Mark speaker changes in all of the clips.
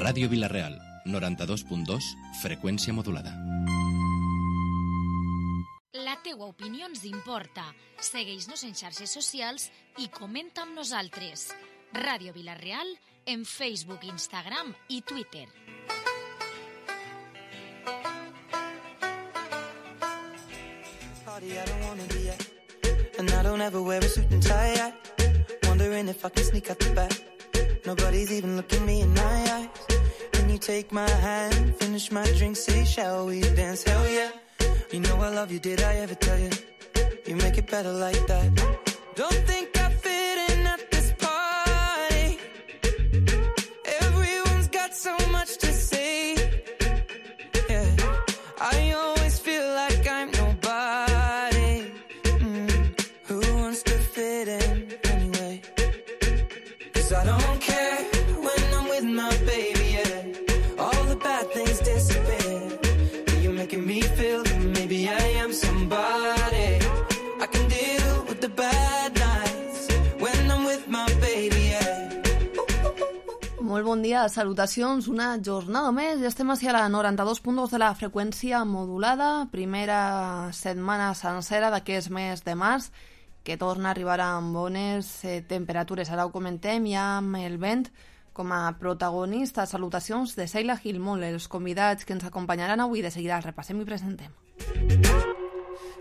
Speaker 1: Ràdio Vila-real, 92.2, freqüència modulada.
Speaker 2: La teua opinió ens importa. Segueix-nos en xarxes socials i comenta amb nosaltres. Ràdio Vila-real en Facebook, Instagram i Twitter.
Speaker 3: I don't wanna be at, and I don't ever wear a suit and tie. Wondering if I can sneak out the back. Nobody's even looking me in my eyes. When you take my hand, finish my drink, say, shall we dance? Hell yeah. You know I love you, did I ever tell you? You make it better like that. Don't think I fit in at this party. Everyone's got so much to say. Yeah, I always feel like I'm nobody. Who wants to fit in anyway? 'Cause I don't care when I'm with my baby, yeah. All the bad things disappear. You're making me feel that maybe I am somebody. I can deal with the bad nights when I'm with my baby, yeah.
Speaker 4: Molt bon dia, salutacions, una jornada més. Ja estem a la 92.2 de la freqüència modulada, primera setmana sencera d'aquest mes de març, que torna a arribar amb bones temperatures. Ara ho comentem, ja amb el vent com a protagonista. Salutacions de Seila Gilmol, els convidats que ens acompanyaran avui. De seguida els repassem i presentem.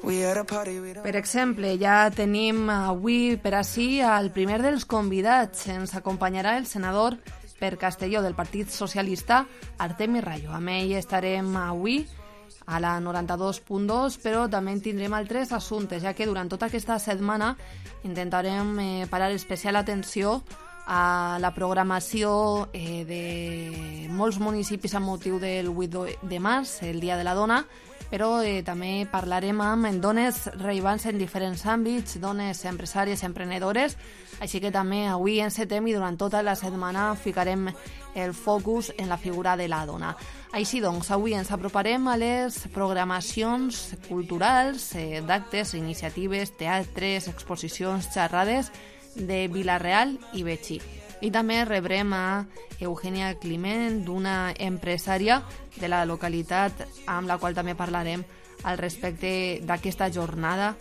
Speaker 4: Per exemple, ja tenim avui per ací el primer dels convidats. Ens acompanyarà el senador per Castelló del Partit Socialista, Artemi Rayo. Amb ell estarem avui a la 92.2, però també en tindrem altres assumptes, ja que durant tota aquesta setmana intentarem parar especial atenció a la programació de molts municipis amb motiu del 8 de març, el Dia de la Dona, però també parlarem amb dones rellevants en diferents àmbits, dones empresàries, emprenedores, així que també avui encetem i durant tota la setmana ficarem el focus en la figura de la dona. Així doncs, avui ens aproparem a les programacions culturals, d'actes, iniciatives, teatres, exposicions, xerrades de Vila-real i Betxí. I també rebrem a Eugènia Climent, d'una empresària de la localitat, amb la qual també parlarem al respecte d'aquesta jornada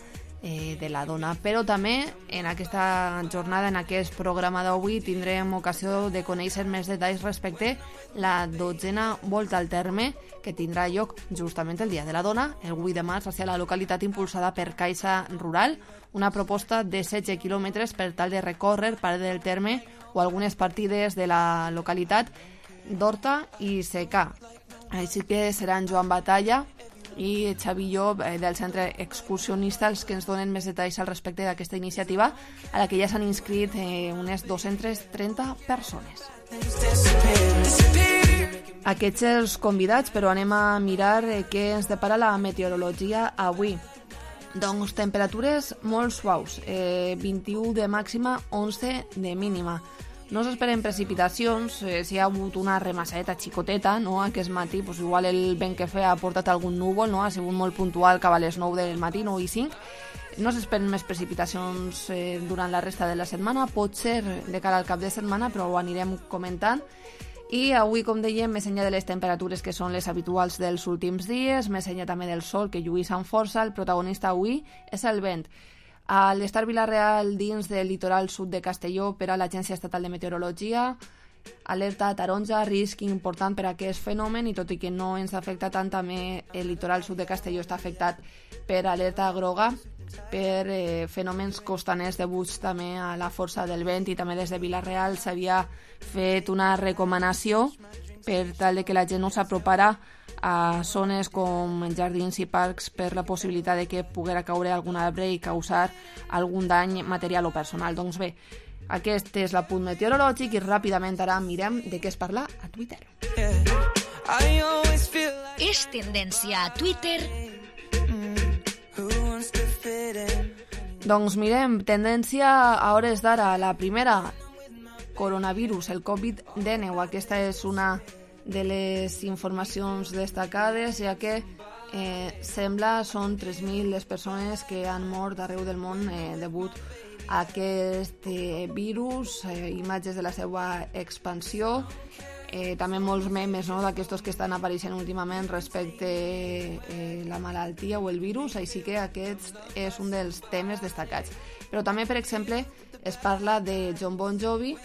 Speaker 4: de la dona. Però també en aquesta jornada, en aquest programa d'avui, tindrem ocasió de conèixer més detalls respecte la 12a volta al terme que tindrà lloc justament el Dia de la Dona, el 8 de març, hacia la localitat, impulsada per Caixa Rural, una proposta de 16 quilòmetres per tal de recórrer part del terme o algunes partides de la localitat d'Horta i Secà. Així que seran Joan Batalla i Xavi Llop del Centre Excursionista els que ens donen més detalls al respecte d'aquesta iniciativa, a la que ja s'han inscrit unes 230 persones. Aquests els convidats, però anem a mirar què ens depara la meteorologia avui. Doncs temperatures molt suaus, 21 de màxima, 11 de mínima. No s'esperen precipitacions, si hi ha hagut una remassadeta xicoteta, no? Aquest matí, pues, igual el vent que ha portat algun núvol, no? Ha sigut molt puntual cap a les 9 del matí, 9 i 5. No s'esperen més precipitacions durant la resta de la setmana, pot ser de cara al cap de setmana, però ho anirem comentant. I avui, com dèiem, més enllà de les temperatures que són les habituals dels últims dies, més enllà també del sol que lluís amb força, el protagonista avui és el vent. A l'Estar Vila-real, dins del litoral sud de Castelló, per a l'Agència Estatal de Meteorologia, alerta taronja, risc important per a aquest fenomen, i tot i que no ens afecta tant, també el litoral sud de Castelló està afectat per alerta groga, per fenòmens costaners deguts també a la força del vent, i també des de Vila-real s'havia fet una recomanació per tal de que la gent no s'apropara a zones com jardins i parcs per la possibilitat de que poguera caure algun arbre i causar algun dany material o personal. Doncs bé, aquest és l'apunt meteorològic i ràpidament ara mirem de què es parla a Twitter.
Speaker 2: És tendència a Twitter.
Speaker 4: Doncs mirem, tendència a hores d'ara, la primera, coronavirus, el Covid-19. Aquesta és una de les informacions destacades, ja que sembla són 3.000 les persones que han mort arreu del món degut a aquest virus, imatges de la seva expansió també molts memes, no?, d'aquestos que estan apareixent últimament respecte la malaltia o el virus, així que aquest és un dels temes destacats. Però també, per exemple, es parla de Jon Bon Jovi,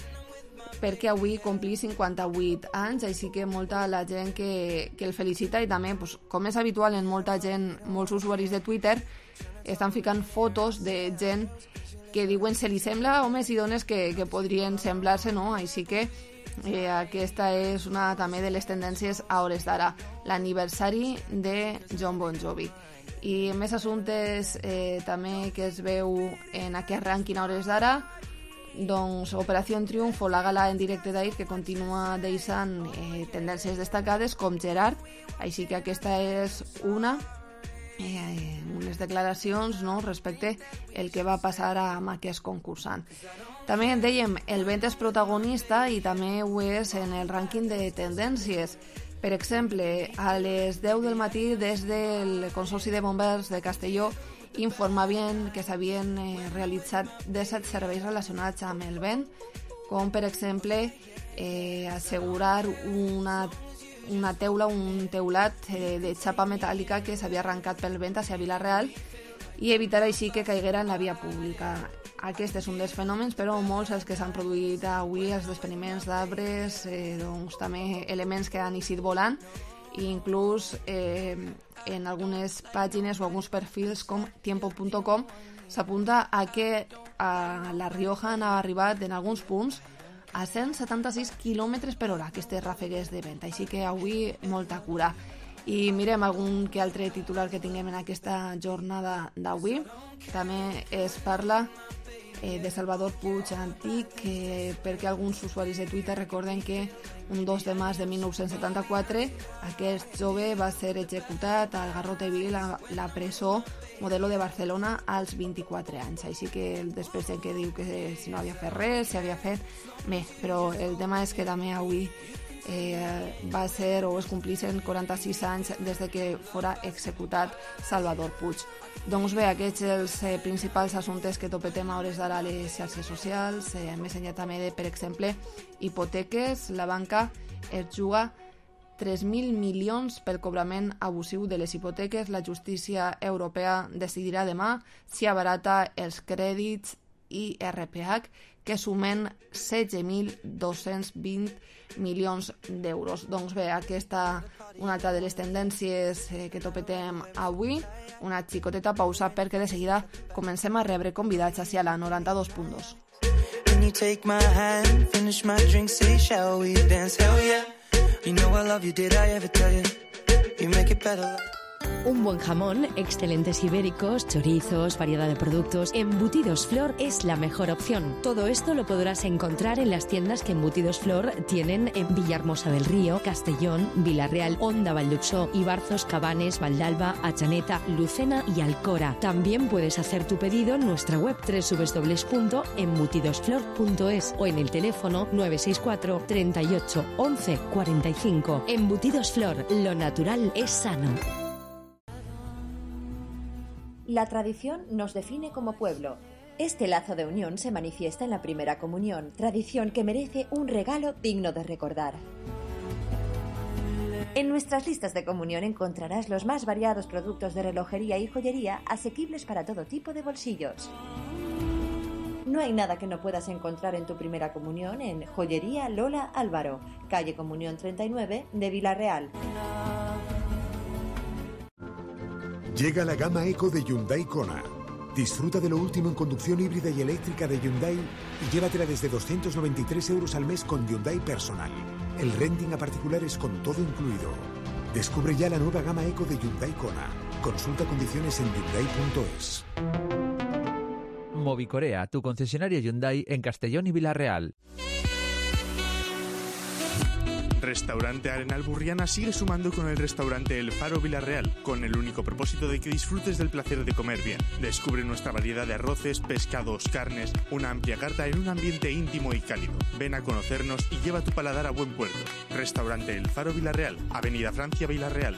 Speaker 4: perquè avui complí 58 anys, així que molta la gent que el felicita, i també, pues, com és habitual en molta gent, molts usuaris de Twitter, estan ficant fotos de gent que diuen se li sembla homes i dones que podrien semblar-se, no? Així que aquesta és una també de les tendències a hores d'ara, l'aniversari de Jon Bon Jovi. I més assumptes també que es veu en aquest rànquing a hores d'ara, doncs Operació Triunfo, la gala en directe d'ahir, que continua deixant tendències destacades com Gerard, així que aquesta és unes declaracions, no?, respecte el que va passar amb aquest concursant. També dèiem, el vent és protagonista i també ho és en el rànquing de tendències. Per exemple, a les 10 del matí des del Consorci de Bombers de Castelló informaven que s'havien realitzat 17 serveis relacionats amb el vent, com per exemple assegurar una teula, un teulat de xapa metàl·lica que s'havia arrencat pel vent hacia Vila-real i evitar així que caiguera en la via pública. Aquest és un dels fenòmens, però molts els que s'han produït avui, els despeniments d'arbres, doncs també elements que han eixit volant, i inclús en algunes pàgines o alguns perfils com tiempo.com s'apunta a que a La Rioja han arribat en alguns punts a 176 km per hora aquestes ràfegues de vent, així que avui molta cura. I mirem algun que altre titular que tinguem en aquesta jornada d'avui. També es parla de Salvador Puig Antic, perquè alguns usuaris de Twitter recorden que un 2 de març de 1974 aquest jove va ser executat al Garrote Vil, la presó Modelo de Barcelona, als 24 anys. Així que després gent que diu que si no havia fet res, si havia fet... Bé, però el tema és que també avui va ser o es complissin 46 anys des de que fora executat Salvador Puig. Doncs bé, aquests els principals assumptes que topetem a hores d'ara a les xarxes socials, més enllà també de, per exemple, hipoteques. La banca es juga 3.000 milions pel cobrament abusiu de les hipoteques. La justícia europea decidirà demà si abarata els crèdits IRPH, que sumen 16.220 milions d'euros. Doncs bé, aquesta una altra de les tendències que topetem avui. Una xicoteta pausa perquè de seguida comencem a rebre convidats hacia la 92.2.
Speaker 3: When you take my hand, finish my drink, say shall we dance, hell yeah. You know I love you, did I ever tell you? You make it better.
Speaker 5: Un buen jamón, excelentes ibéricos, chorizos, variedad de productos. Embutidos Flor es la mejor opción. Todo esto lo podrás encontrar en las tiendas que Embutidos Flor tienen en Villahermosa del Río, Castellón, Vila-real, Onda, Valldutxó, Ibarzos, Cabanes, Valdalba, Atxaneta, Lucena y Alcora. También puedes hacer tu pedido en nuestra web www.embutidosflor.es o en el teléfono 964 38 11 45. Embutidos Flor, lo natural es sano.
Speaker 6: La tradición nos define como pueblo. Este lazo de unión se manifiesta en la primera comunión, tradición que merece un regalo digno de recordar. En nuestras listas de comunión encontrarás los más variados productos de relojería y joyería asequibles para todo tipo de bolsillos. No hay nada que no puedas encontrar en tu primera comunión en Joyería Lola Álvaro, calle Comunión 39 de Vila-real.
Speaker 7: Llega la gama Eco de Hyundai Kona. Disfruta de lo último en conducción híbrida y eléctrica de Hyundai y llévatela desde 293 euros al mes con Hyundai Personal. El renting a particulares con todo incluido. Descubre ya la nueva gama Eco de Hyundai Kona. Consulta condiciones en Hyundai.es.
Speaker 8: Movicorea, tu concesionario Hyundai en Castellón y Vila-real.
Speaker 9: Restaurante Arenal Burriana sigue sumando con el restaurante El Faro Vila-real, con el único propósito de que disfrutes del placer de comer bien. Descubre nuestra variedad de arroces, pescados, carnes, una amplia carta en un ambiente íntimo y cálido. Ven a conocernos y lleva tu paladar a buen puerto. Restaurante El Faro Vila-real, Avenida Francia, Vila-real.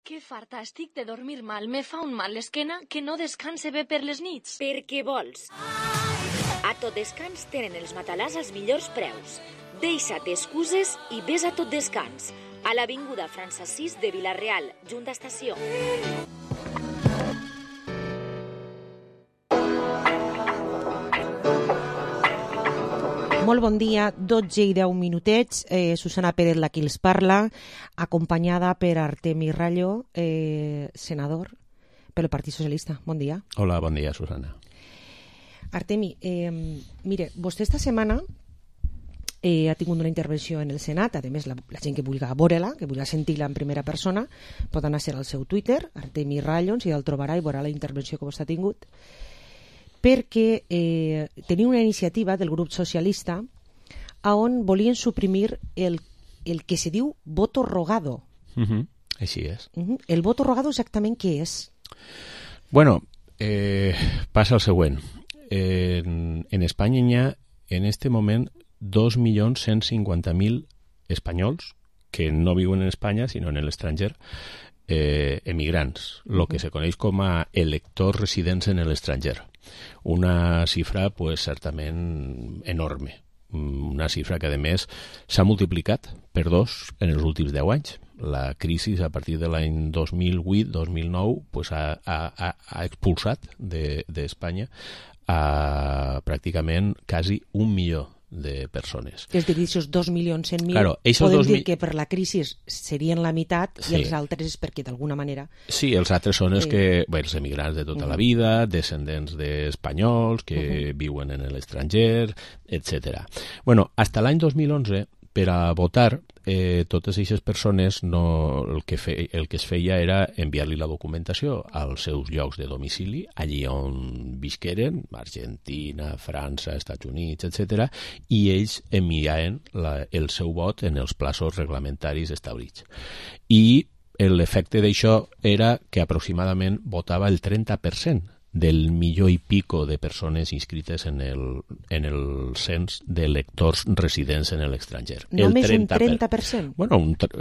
Speaker 10: Que farta estic de dormir mal. Me fa un mal l'esquena que no descanse bé per les nits.
Speaker 11: Per què vols?
Speaker 2: A Tot Descans tenen els matalars als millors preus. Deixa't excuses i ves a Tot Descans, a l'avinguda Francesís de Vila-real, junt d'estació.
Speaker 11: Molt bon dia, 12 i 10 minutets. Susana Pérez, la qui els parla, acompanyada per Artemi Rallo, senador pel Partit Socialista. Bon dia.
Speaker 12: Hola, bon dia, Susana.
Speaker 11: Artemi, mire, vostè esta setmana ha tingut una intervenció en el Senat. A més, la gent que vulgui veure-la, que vulgui sentir-la en primera persona, pot anar a ser al seu Twitter, Artemi Rallo, si el trobarà i veurà la intervenció que vostè ha tingut, perquè tenia una iniciativa del grup socialista on volien suprimir el que se diu voto rogado.
Speaker 12: Així és.
Speaker 11: El voto rogado exactament què és?
Speaker 12: Bueno, passa el següent. En Espanya hi ha en este moment 2.150.000 espanyols que no viuen en Espanya sinó en l'estranger, emigrants, lo que se coneix com a electors residents en l'estranger. Una xifra pues, certament enorme. Una xifra que, a més, s'ha multiplicat per 2 en els últims 10 anys. La crisi, a partir de l'any 2008-2009, pues, ha expulsat d'Espanya a pràcticament quasi 1 milió de persones.
Speaker 11: És a dir, aquests 2.100.000,
Speaker 12: claro,
Speaker 11: podem dir que per la crisi serien la meitat, sí. I els altres perquè d'alguna manera...
Speaker 12: Sí, els altres són els que, els emigrants de tota la vida, descendents d'espanyols que viuen en l'estranger, etc. Bueno, hasta l'any 2011, per a votar, totes aquestes persones el que es feia era enviar-li la documentació als seus llocs de domicili, allí on visqueren, Argentina, França, Estats Units, etc., i ells enviaven el seu vot en els plaços reglamentaris establits. I l'efecte d'això era que aproximadament votava el 30% del milió i pico de persones inscrites en el cens d'electors residents en l'estranger.
Speaker 11: Només un 30%?
Speaker 12: Bueno,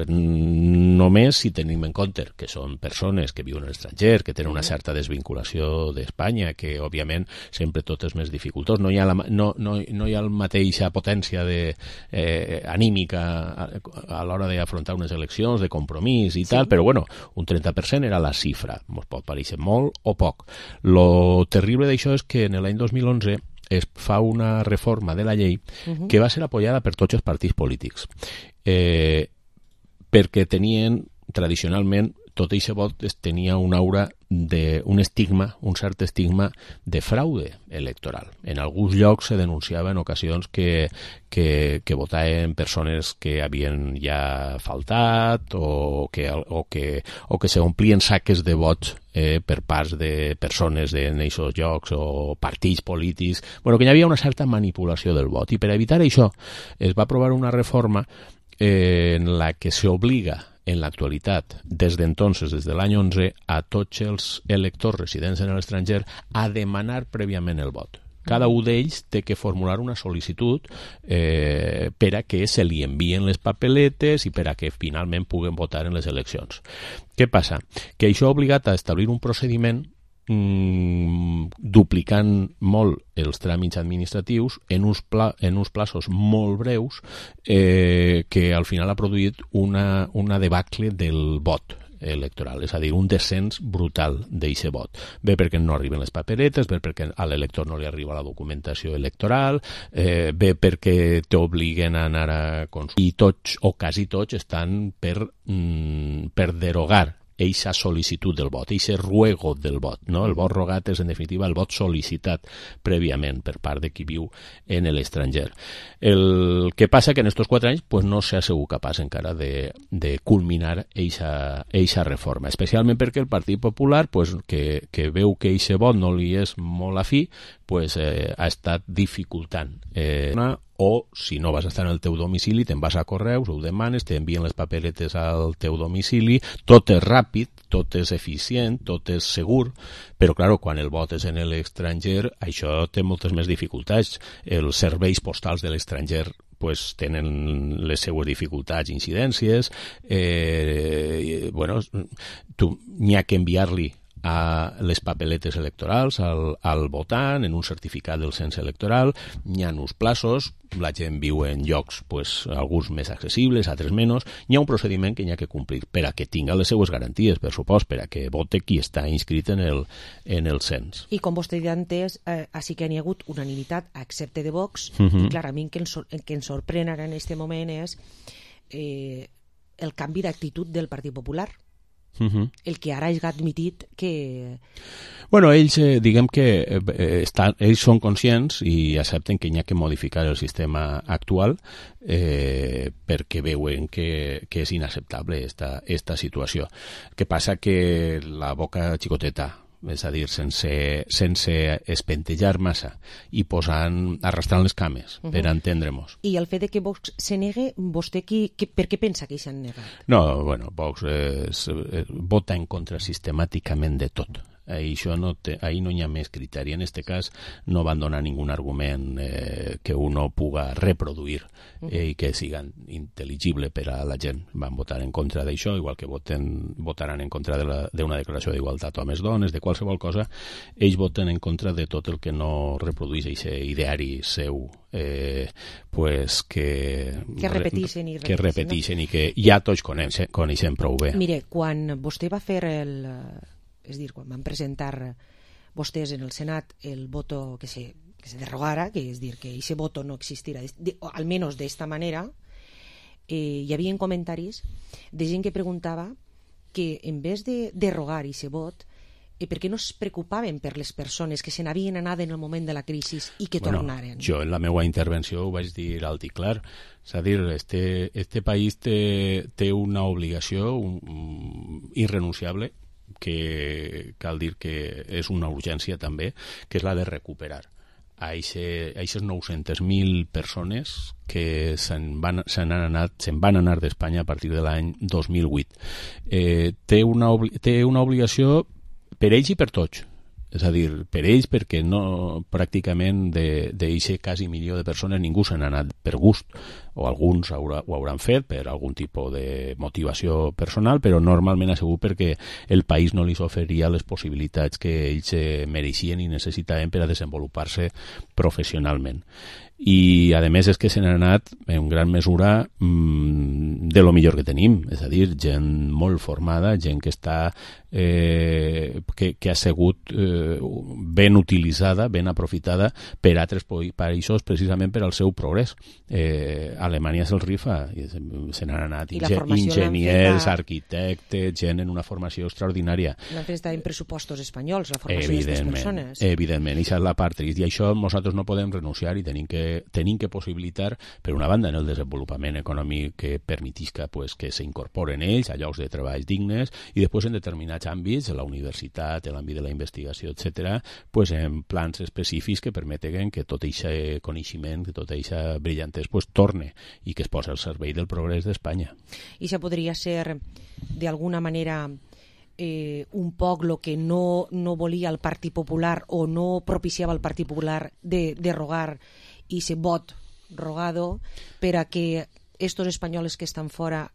Speaker 12: només si tenim en compte que són persones que viuen a l'estranger, que tenen una certa desvinculació d'Espanya, que, òbviament, sempre tot és més dificultós. No hi ha la mateixa potència anímica a l'hora d'afrontar unes eleccions, de compromís i tal, però, bueno, un 30% era la xifra. Ens pot parèixer molt o poc. Lo terrible d'això és que en l'any 2011 es fa una reforma de la llei que va ser apoyada per tots els partits polítics, perquè tenien tradicionalment tot aquest vot tenia una aura un estigma, un cert estigma de fraude electoral. En alguns llocs se denunciava en ocasions que votaven persones que havien ja faltat o que se omplien saques de vots per parts de persones en aquests llocs o partits polítics. Bueno, que hi havia una certa manipulació del vot. I per evitar això es va aprovar una reforma en la que s'obliga en l'actualitat, des d'entonces, des de l'any 11, a tots els electors residents en l'estranger a demanar prèviament el vot. Cada un d'ells té que formular una sol·licitud per a que se li envien les papeletes i per a que finalment puguen votar en les eleccions. Què passa? Que això ha obligat a establir un procediment duplicant molt els tràmits administratius en uns plaços molt breus que al final ha produït una debacle del vot electoral, és a dir, un descens brutal d'aquest vot. Bé perquè no arriben les paperetes, bé perquè a l'elector no li arriba la documentació electoral, bé perquè t'obliguen a anar a consultar, i tots o quasi tots estan per derogar eixa sol·licitud del vot, eixe ruego del vot, no? El vot rogat és, en definitiva, el vot sol·licitat prèviament per part de qui viu en l'estranger. El que passa que en aquests 4 anys pues, no s'ha sigut capaç encara de culminar eixa reforma, especialment perquè el Partit Popular, pues, que veu que eixe vot no li és molt afí, pues, ha estat dificultant o si no vas a estar en el teu domicili te'n vas a correus, ho demanes, t'envien les papeletes al teu domicili, tot és ràpid, tot és eficient, tot és segur, però clar, quan el vot és en l'estranger això té moltes més dificultats. Els serveis postals de l'estranger pues, tenen les seues dificultats i incidències, bueno, tu n'hi ha que enviar-li a les papeletes electorals al votant, en un certificat del cens electoral, hi ha uns plaços, la gent viu en llocs, pues, alguns més accessibles, altres menys, hi ha un procediment que hi ha que complir per a que tinga les seues garanties, per supost, per a que vote qui està inscrit en el cens.
Speaker 11: I com vostè ja ha entès, així que n'hi ha hagut unanimitat, excepte de Vox, i clar, a mi el que ens sorprèn ara en aquest moment és el canvi d'actitud del Partit Popular. El que ara ha admitit que...
Speaker 12: Bueno, ells, diguem que ells són conscients i accepten que hi ha que modificar el sistema actual perquè veuen que és inacceptable esta situació. Què passa? Que la boca xicoteta, és a dir, sense espentejar massa i arrastrant les cames per entendre-nos.
Speaker 11: I el fet de que Vox se negue, vostè per què pensa que s'han negat?
Speaker 12: No, bueno, Vox vota en contra sistemàticament de tot. Ahí no hi ha més criteri. En aquest cas no van donar ningun argument que uno puga reproduir i que siga intel·ligible per a la gent. Van votar en contra d'això, igual que votaran en contra d'una declaració d'igualtat homes-dones, de qualsevol cosa. Ells voten en contra de tot el que no reprodueix aquest ideari seu pues que repeteixen i que ja tots coneixem prou bé.
Speaker 11: Mire, quan vostè va fer és dir, quan van presentar vostès en el Senat el voto que se derogara, que és dir, que ese voto no existirà, almenys d'esta manera, hi havia comentaris de gent que preguntava que en vez de derogar ese vot, per què no es preocupaven per les persones que se n'havien anat en el moment de la crisi i que tornaren?
Speaker 12: Jo en la meva intervenció ho vaig dir alt i clar. És a dir, este país té una obligació irrenunciable, que cal dir que és una urgència també, que és la de recuperar a aquestes 900.000 persones que se'n van anar d'Espanya a partir de l'any 2008. Té una obligació per ells i per tots. És a dir, per ells, perquè no, pràcticament d'aquest quasi milió de persones ningú se n'ha anat per gust, o alguns ho hauran fet per algun tipus de motivació personal, però normalment ha sigut perquè el país no li oferia les possibilitats que ells mereixien i necessitaven per a desenvolupar-se professionalment. I a més és que se n'ha anat en gran mesura de lo millor que tenim, és a dir, gent molt formada, gent que està que ha sigut ben utilitzada, ben aprofitada per altres països precisament per al seu progrés. Alemanya se'l rifa, se n'han anat enginyers, arquitectes, gent en una formació extraordinària.
Speaker 11: L'han fet estar en pressupostos espanyols, la formació d'aquestes persones.
Speaker 12: Evidentment, això és la part trist, i això nosaltres no podem renunciar i tenim que possibilitar, per una banda, en el desenvolupament econòmic que permetisca que s'incorporen ells a llocs de treball dignes, i després en determinats àmbits, a la universitat, en l'àmbit de la investigació, etc., en plans específics que permeten que tot aquest coneixement, que tota aquesta brillantesa torne i que es posa al servei del progrés d'Espanya.
Speaker 11: I això podria ser, d'alguna manera, un poc el que no volia el Partit Popular o no propiciava el Partit Popular de derogar i ese vot rogado per a que estos espanyols que estan fora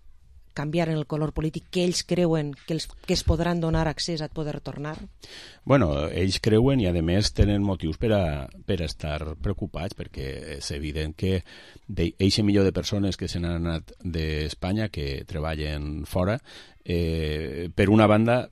Speaker 11: canviaren el color polític que ells creuen que es podran donar accés a poder tornar?
Speaker 12: Bueno, ells creuen i a més tenen motius per a estar preocupats, perquè és evident que d'aquest milió de persones que se n'han anat d'Espanya, que treballen fora, per una banda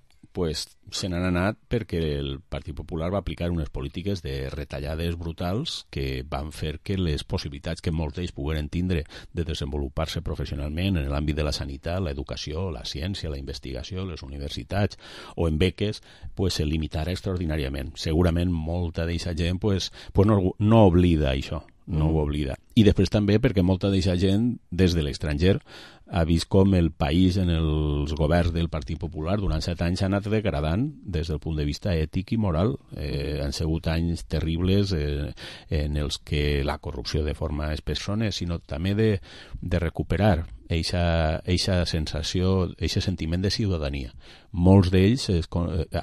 Speaker 12: se n'han anat perquè el Partit Popular va aplicar unes polítiques de retallades brutals que van fer que les possibilitats que molts d'ells pogueren tindre de desenvolupar-se professionalment en l'àmbit de la sanitat, l'educació, la ciència, la investigació, les universitats o en beques, se limitara extraordinàriament. Segurament molta d'aquesta gent no oblida això, no ho oblida. I després també perquè molta d'aquesta gent des de l'estranger ha vist com el país en els governs del Partit Popular durant 7 anys s'ha anat degradant des del punt de vista ètic i moral. Han sigut anys terribles en els que la corrupció de forma és persones, sinó també de recuperar eixa sensació, eixe sentiment de ciutadania. Molts d'ells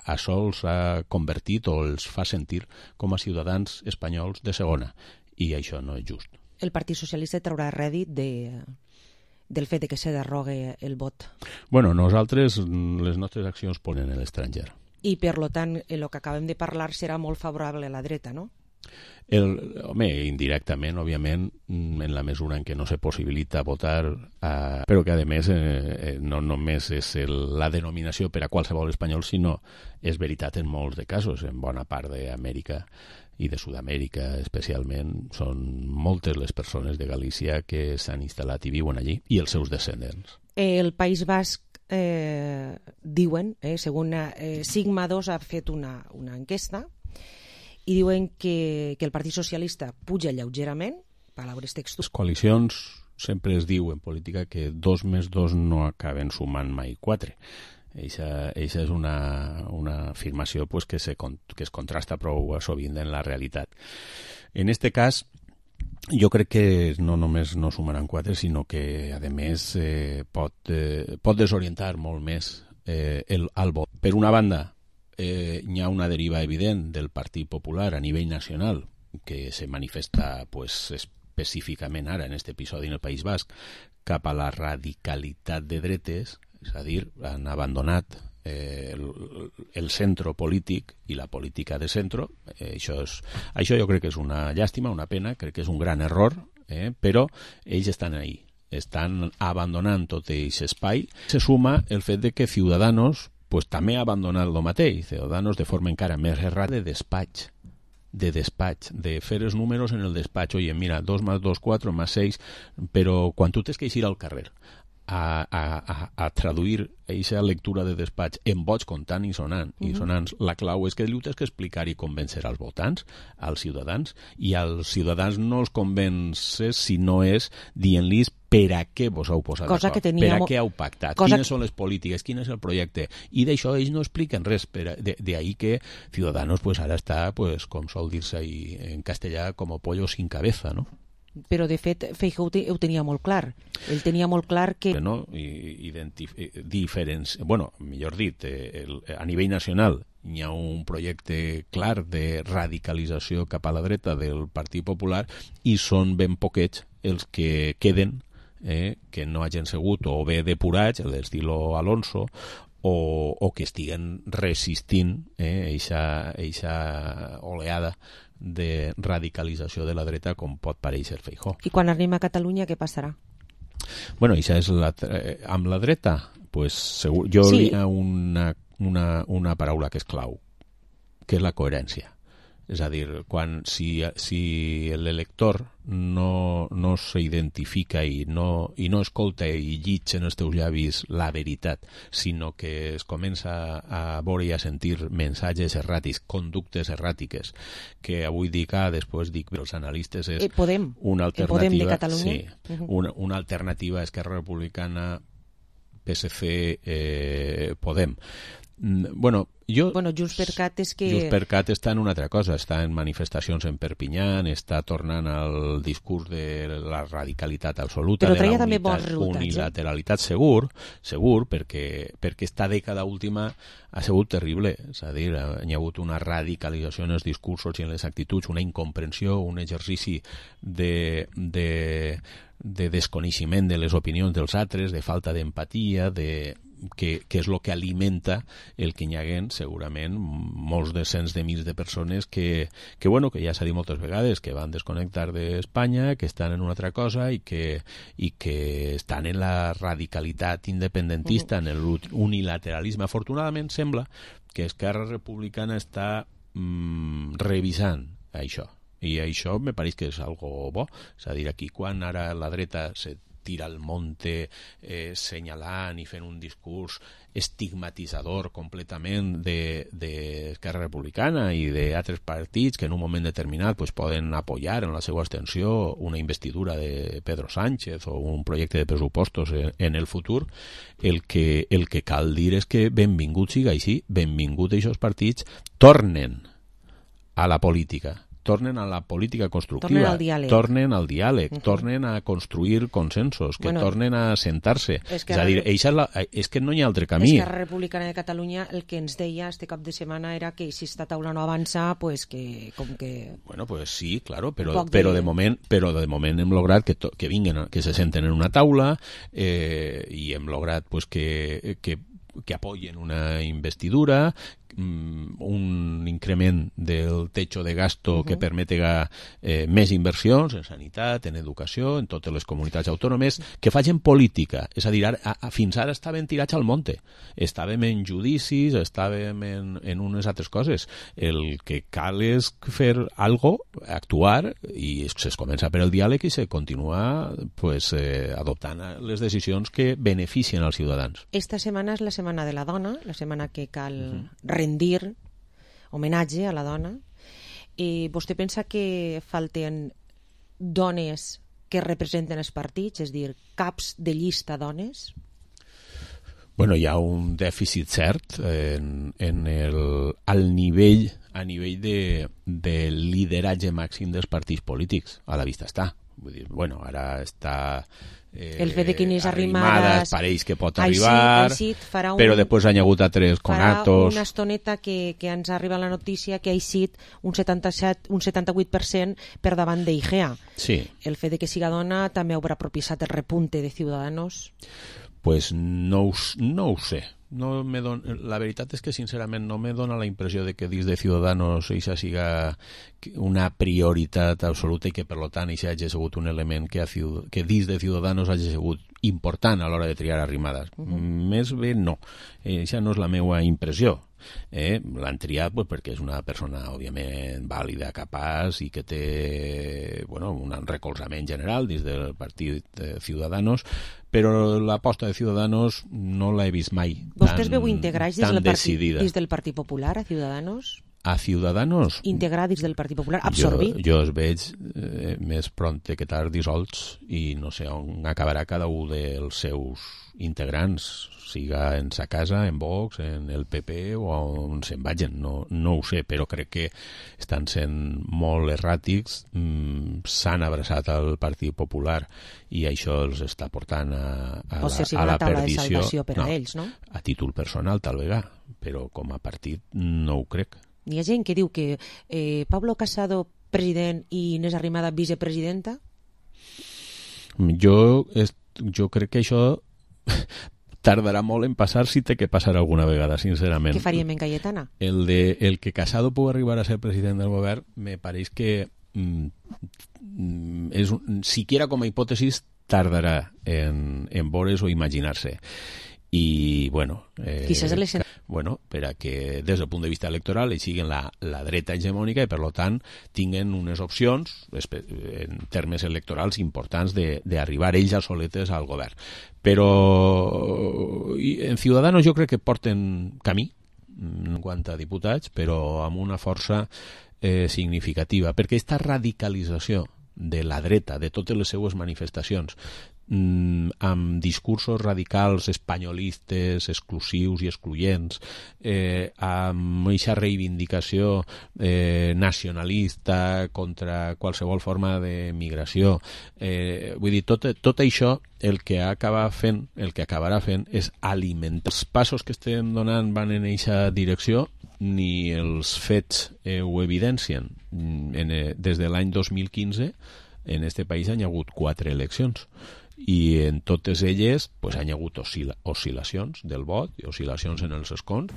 Speaker 12: això els ha convertit o els fa sentir com a ciutadans espanyols de segona, i això no és just.
Speaker 11: El Partit Socialista traurà rèdit del fet que se derrogue el vot?
Speaker 12: Bueno, nosaltres, les nostres accions ponen a l'estranger.
Speaker 11: i per tant el que acabem de parlar serà molt favorable a la dreta, no?
Speaker 12: Home, indirectament, òbviament, en la mesura en què no se possibilita votar, però que, a més, no només és la denominació per a qualsevol espanyol, sinó és veritat en molts de casos, en bona part d'Amèrica i de Sud-amèrica especialment, són moltes les persones de Galícia que s'han instal·lat i viuen allí, i els seus descendents.
Speaker 11: El País Basc diuen, segons Sigma 2 ha fet una enquesta, i diuen que el Partit Socialista puja lleugerament, paraules textuals.
Speaker 12: Les coalicions sempre es diu en política que 2 més 2 no acaben sumant mai 4. Eixa és una afirmació pues, que es contrasta prou sovint en la realitat. En este cas, jo crec que no només no sumaran 4, sinó que, a més, pot desorientar molt més el vot. Per una banda, hi ha una deriva evident del Partit Popular a nivell nacional que se manifesta pues, específicament ara en aquest episodi en el País Basc cap a la radicalitat de dretes, és a dir, han abandonat el centre polític i la política de centre. Això jo crec que és una llàstima, una pena, crec que és un gran error, però ells estan ahí, estan abandonant tot aquest espai. Se suma el fet de que Ciudadanos pues també ha abandonat el mateix, Ciudadanos de forma encara més errada de despatx, de fer els números en el despatx. Oye, mira, 2 más 2, 4 más 6, però quan tu tens que eixir al carrer a traduir aquesta lectura de despatx en vots comptant i sonants, la clau és que li tens que explicar i convèncer als votants, als ciutadans, i als ciutadans no els convences si no és dient-los per a què vos heu posat d'acord, per a què heu pactat, quines són les polítiques, quin és el projecte, i d'això ells no expliquen res, d'ahí que Ciudadanos pues, ara està, pues, com sol dir-se en castellà, com pollo sin cabeza, no?
Speaker 11: Però de fet Feijóo ho tenia molt clar. Ell tenia molt clar que...
Speaker 12: No, millor dit, a nivell nacional hi ha un projecte clar de radicalització cap a la dreta del Partit Popular i són ben poquets els que queden que no hagin sigut o bé depurats, l'estilo Alonso, o que estiguen resistint eixa oleada de radicalització de la dreta com pot parèixer Feijóo.
Speaker 11: I quan arribem a Catalunya, què passarà?
Speaker 12: Bueno, això és amb la dreta, pues, segur, jo hi ha una paraula que és clau, que és la coherència. És a dir, si l'elector no s'identifica i no escolta i llig en els teus llavis la veritat, sinó que es comença a veure i a sentir mensatges erràtics, conductes erràtiques, que avui dic A, després dic B, els analistes és una alternativa. Sí, una alternativa a Esquerra Republicana, PSC, Podem. Bueno,
Speaker 11: Junts per Cat és que...
Speaker 12: Junts per Cat està en una altra cosa, està en manifestacions en Perpinyà, està tornant al discurs de la radicalitat absoluta,
Speaker 11: però
Speaker 12: de la
Speaker 11: unilateralitat,
Speaker 12: segur, perquè esta dècada última ha sigut terrible, és a dir, hi ha hagut una radicalització en els discursos i en les actituds, una incomprensió, un exercici de desconeixement de les opinions dels altres, de falta d'empatia, que és el que alimenta el que hi haguen segurament molts cents de mils de persones que ja s'ha dit moltes vegades, que van desconnectar d'Espanya, que estan en una altra cosa i que estan en la radicalitat independentista, en l'unilateralisme. Afortunadament sembla que Esquerra Republicana està revisant això, i això me pareix que és algo bo. És a dir, aquí quan ara la dreta se tira al monte senyalant i fent un discurs estigmatitzador completament d'Esquerra Republicana i d'altres partits que en un moment determinat pues, poden apoyar en la seva abstenció una investidura de Pedro Sánchez o un projecte de pressupostos en el futur, el que cal dir és que benvingut siga així, benvingut aquests partits tornen a la política constructiva, tornen al diàleg, tornen a construir consensos, que tornen a sentar-se. És a dir, és que no hi ha altre camí.
Speaker 11: Esquerra Republicana de Catalunya el que ens deia este cap de setmana era que si esta taula no avança, pues que com que...
Speaker 12: Bueno, pues sí, claro, però de moment hem lograt que vinguen, que se senten en una taula i hem lograt pues que apoyen una investidura un increment del techo de gasto que permetega més inversions en sanitat, en educació, en totes les comunitats autònomes, que facin política. És a dir, fins ara estàvem tirats al monte. Estàvem en judicis, estàvem en unes altres coses. El que cal és fer algo, actuar, i es comença per el diàleg i se continua adoptant les decisions que beneficien als ciutadans.
Speaker 11: Esta setmana és la Setmana de la Dona, la setmana que cal rendir homenatge a la dona. Vostè pensa que falten dones que representen els partits, és a dir, caps de llista dones?
Speaker 12: Bueno, hi ha un dèficit cert al nivell de lideratge màxim dels partits polítics. A la vista està. Vull dir, bueno, ara està
Speaker 11: el fet de que Inés Arrimadas
Speaker 12: pareix que pot arribar, però després han hagut altres conatos.
Speaker 11: Farà una estoneta que ens arriba la notícia que ha eixit un 78% per davant d'Igea.
Speaker 12: Sí.
Speaker 11: El fet de que siga dona també haurà propiciat el repunte de Ciudadanos?
Speaker 12: Pues no ho sé. La veritat és que sincerament no me dona la impressió de que dins de Ciudadanos això siga una prioritat absoluta i que per tant això hagi sigut un element que dins de Ciudadanos hagi sigut important a l'hora de triar Arrimadas. Més bé no, això no és la meva impressió. L'han triat perquè és una persona òbviament vàlida, capaç i que té un recolzament general dins del partit de Ciudadanos, però l'aposta de Ciudadanos no l'he vist mai
Speaker 11: Vostè es veu integrar
Speaker 12: dins
Speaker 11: del Partit Popular a Ciudadanos?
Speaker 12: A Ciudadanos?
Speaker 11: Integrar dins del Partit Popular, absorbit?
Speaker 12: Jo es veig més prompte que tard dissolts i no sé on acabarà cada un dels seus integrants, siga en sa casa, en Vox, en el PP o on se'n vagin, no ho sé, però crec que estan sent molt erràtics, s'han abraçat al Partit Popular i això els està portant a la perdició.
Speaker 11: Per a ells, no?
Speaker 12: A títol personal, tal vegada, però com a partit no ho crec.
Speaker 11: Hi ha gent que diu que Pablo Casado president i Inés Arrimadas vicepresidenta?
Speaker 12: Jo crec que això tardarà molt en passar si té que passar alguna vegada, sincerament.
Speaker 11: Què faríem en Cayetana?
Speaker 12: El que Casado pugui arribar a ser president del govern me pareix que siquiera com a hipòtesis tardarà en veure's o imaginar-se. I, per a que des del punt de vista electoral ells siguin la dreta hegemònica i, per tant, tinguen unes opcions en termes electorals importants d'arribar ells a soletes al govern. Però en Ciudadanos jo crec que porten camí en quant a diputats, però amb una força significativa, perquè aquesta radicalització de la dreta, de totes les seues manifestacions, amb discursos radicals espanyolistes, exclusius i excloents, amb aquesta reivindicació nacionalista contra qualsevol forma de migració. Vull dir, tot això el que acabarà fent és alimentar. Els passos que estem donant van en aquesta direcció, ni els fets ho evidencien. Des de l'any 2015 en este país hi ha hagut 4 eleccions i en totes elles hi ha hagut oscil·lacions del vot i oscil·lacions en els escons.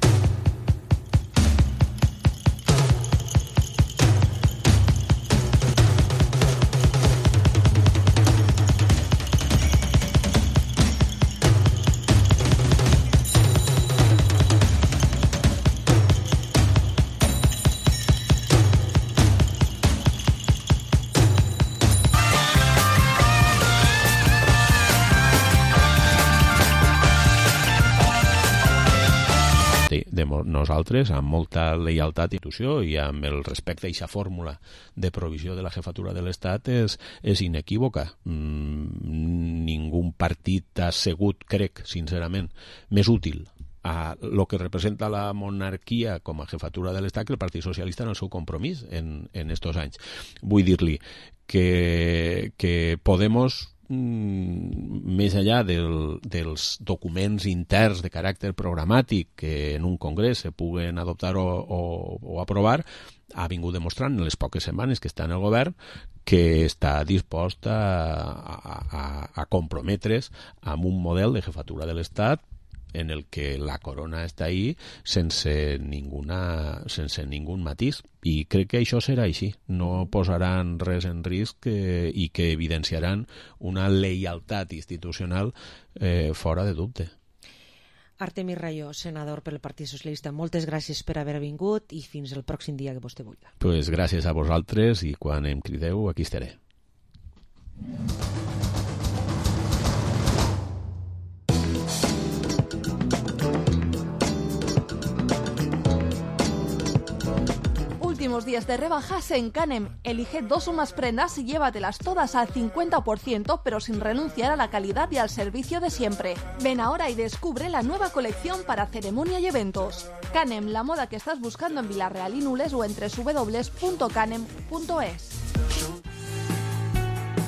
Speaker 12: Nosaltres, amb molta lleialtat i institució i amb el respecte a aquesta fórmula de provisió de la jefatura de l'Estat és inequívoca. Ningú partit ha sigut, crec, sincerament, més útil a lo que representa la monarquia com a jefatura de l'Estat que el Partit Socialista en el seu compromís en estos anys. Vull dir-li que Podemos, més enllà dels documents interns de caràcter programàtic que en un congrés se puguen adoptar o aprovar, ha vingut demostrant en les poques setmanes que està en el govern que està dispost a comprometre's amb un model de jefatura de l'Estat en el que la corona està ahí sense ningún matís. I crec que això serà així. No posaran res en risc i que evidenciaran una lleialtat institucional fora de dubte.
Speaker 11: Artemi Rayo, senador pel Partit Socialista, moltes gràcies per haver vingut i fins el pròxim dia que vostè vulgui.
Speaker 12: Pues gràcies a vosaltres i quan em crideu aquí estaré.
Speaker 4: Últimos días de rebajas en Canem. Elige 2 o más prendas y llévatelas todas al 50%, pero sin renunciar a la calidad y al servicio de siempre. Ven ahora y descubre la nueva colección para ceremonia y eventos. Canem, la moda que estás buscando en Vilarreal y Nules o en www.canem.es.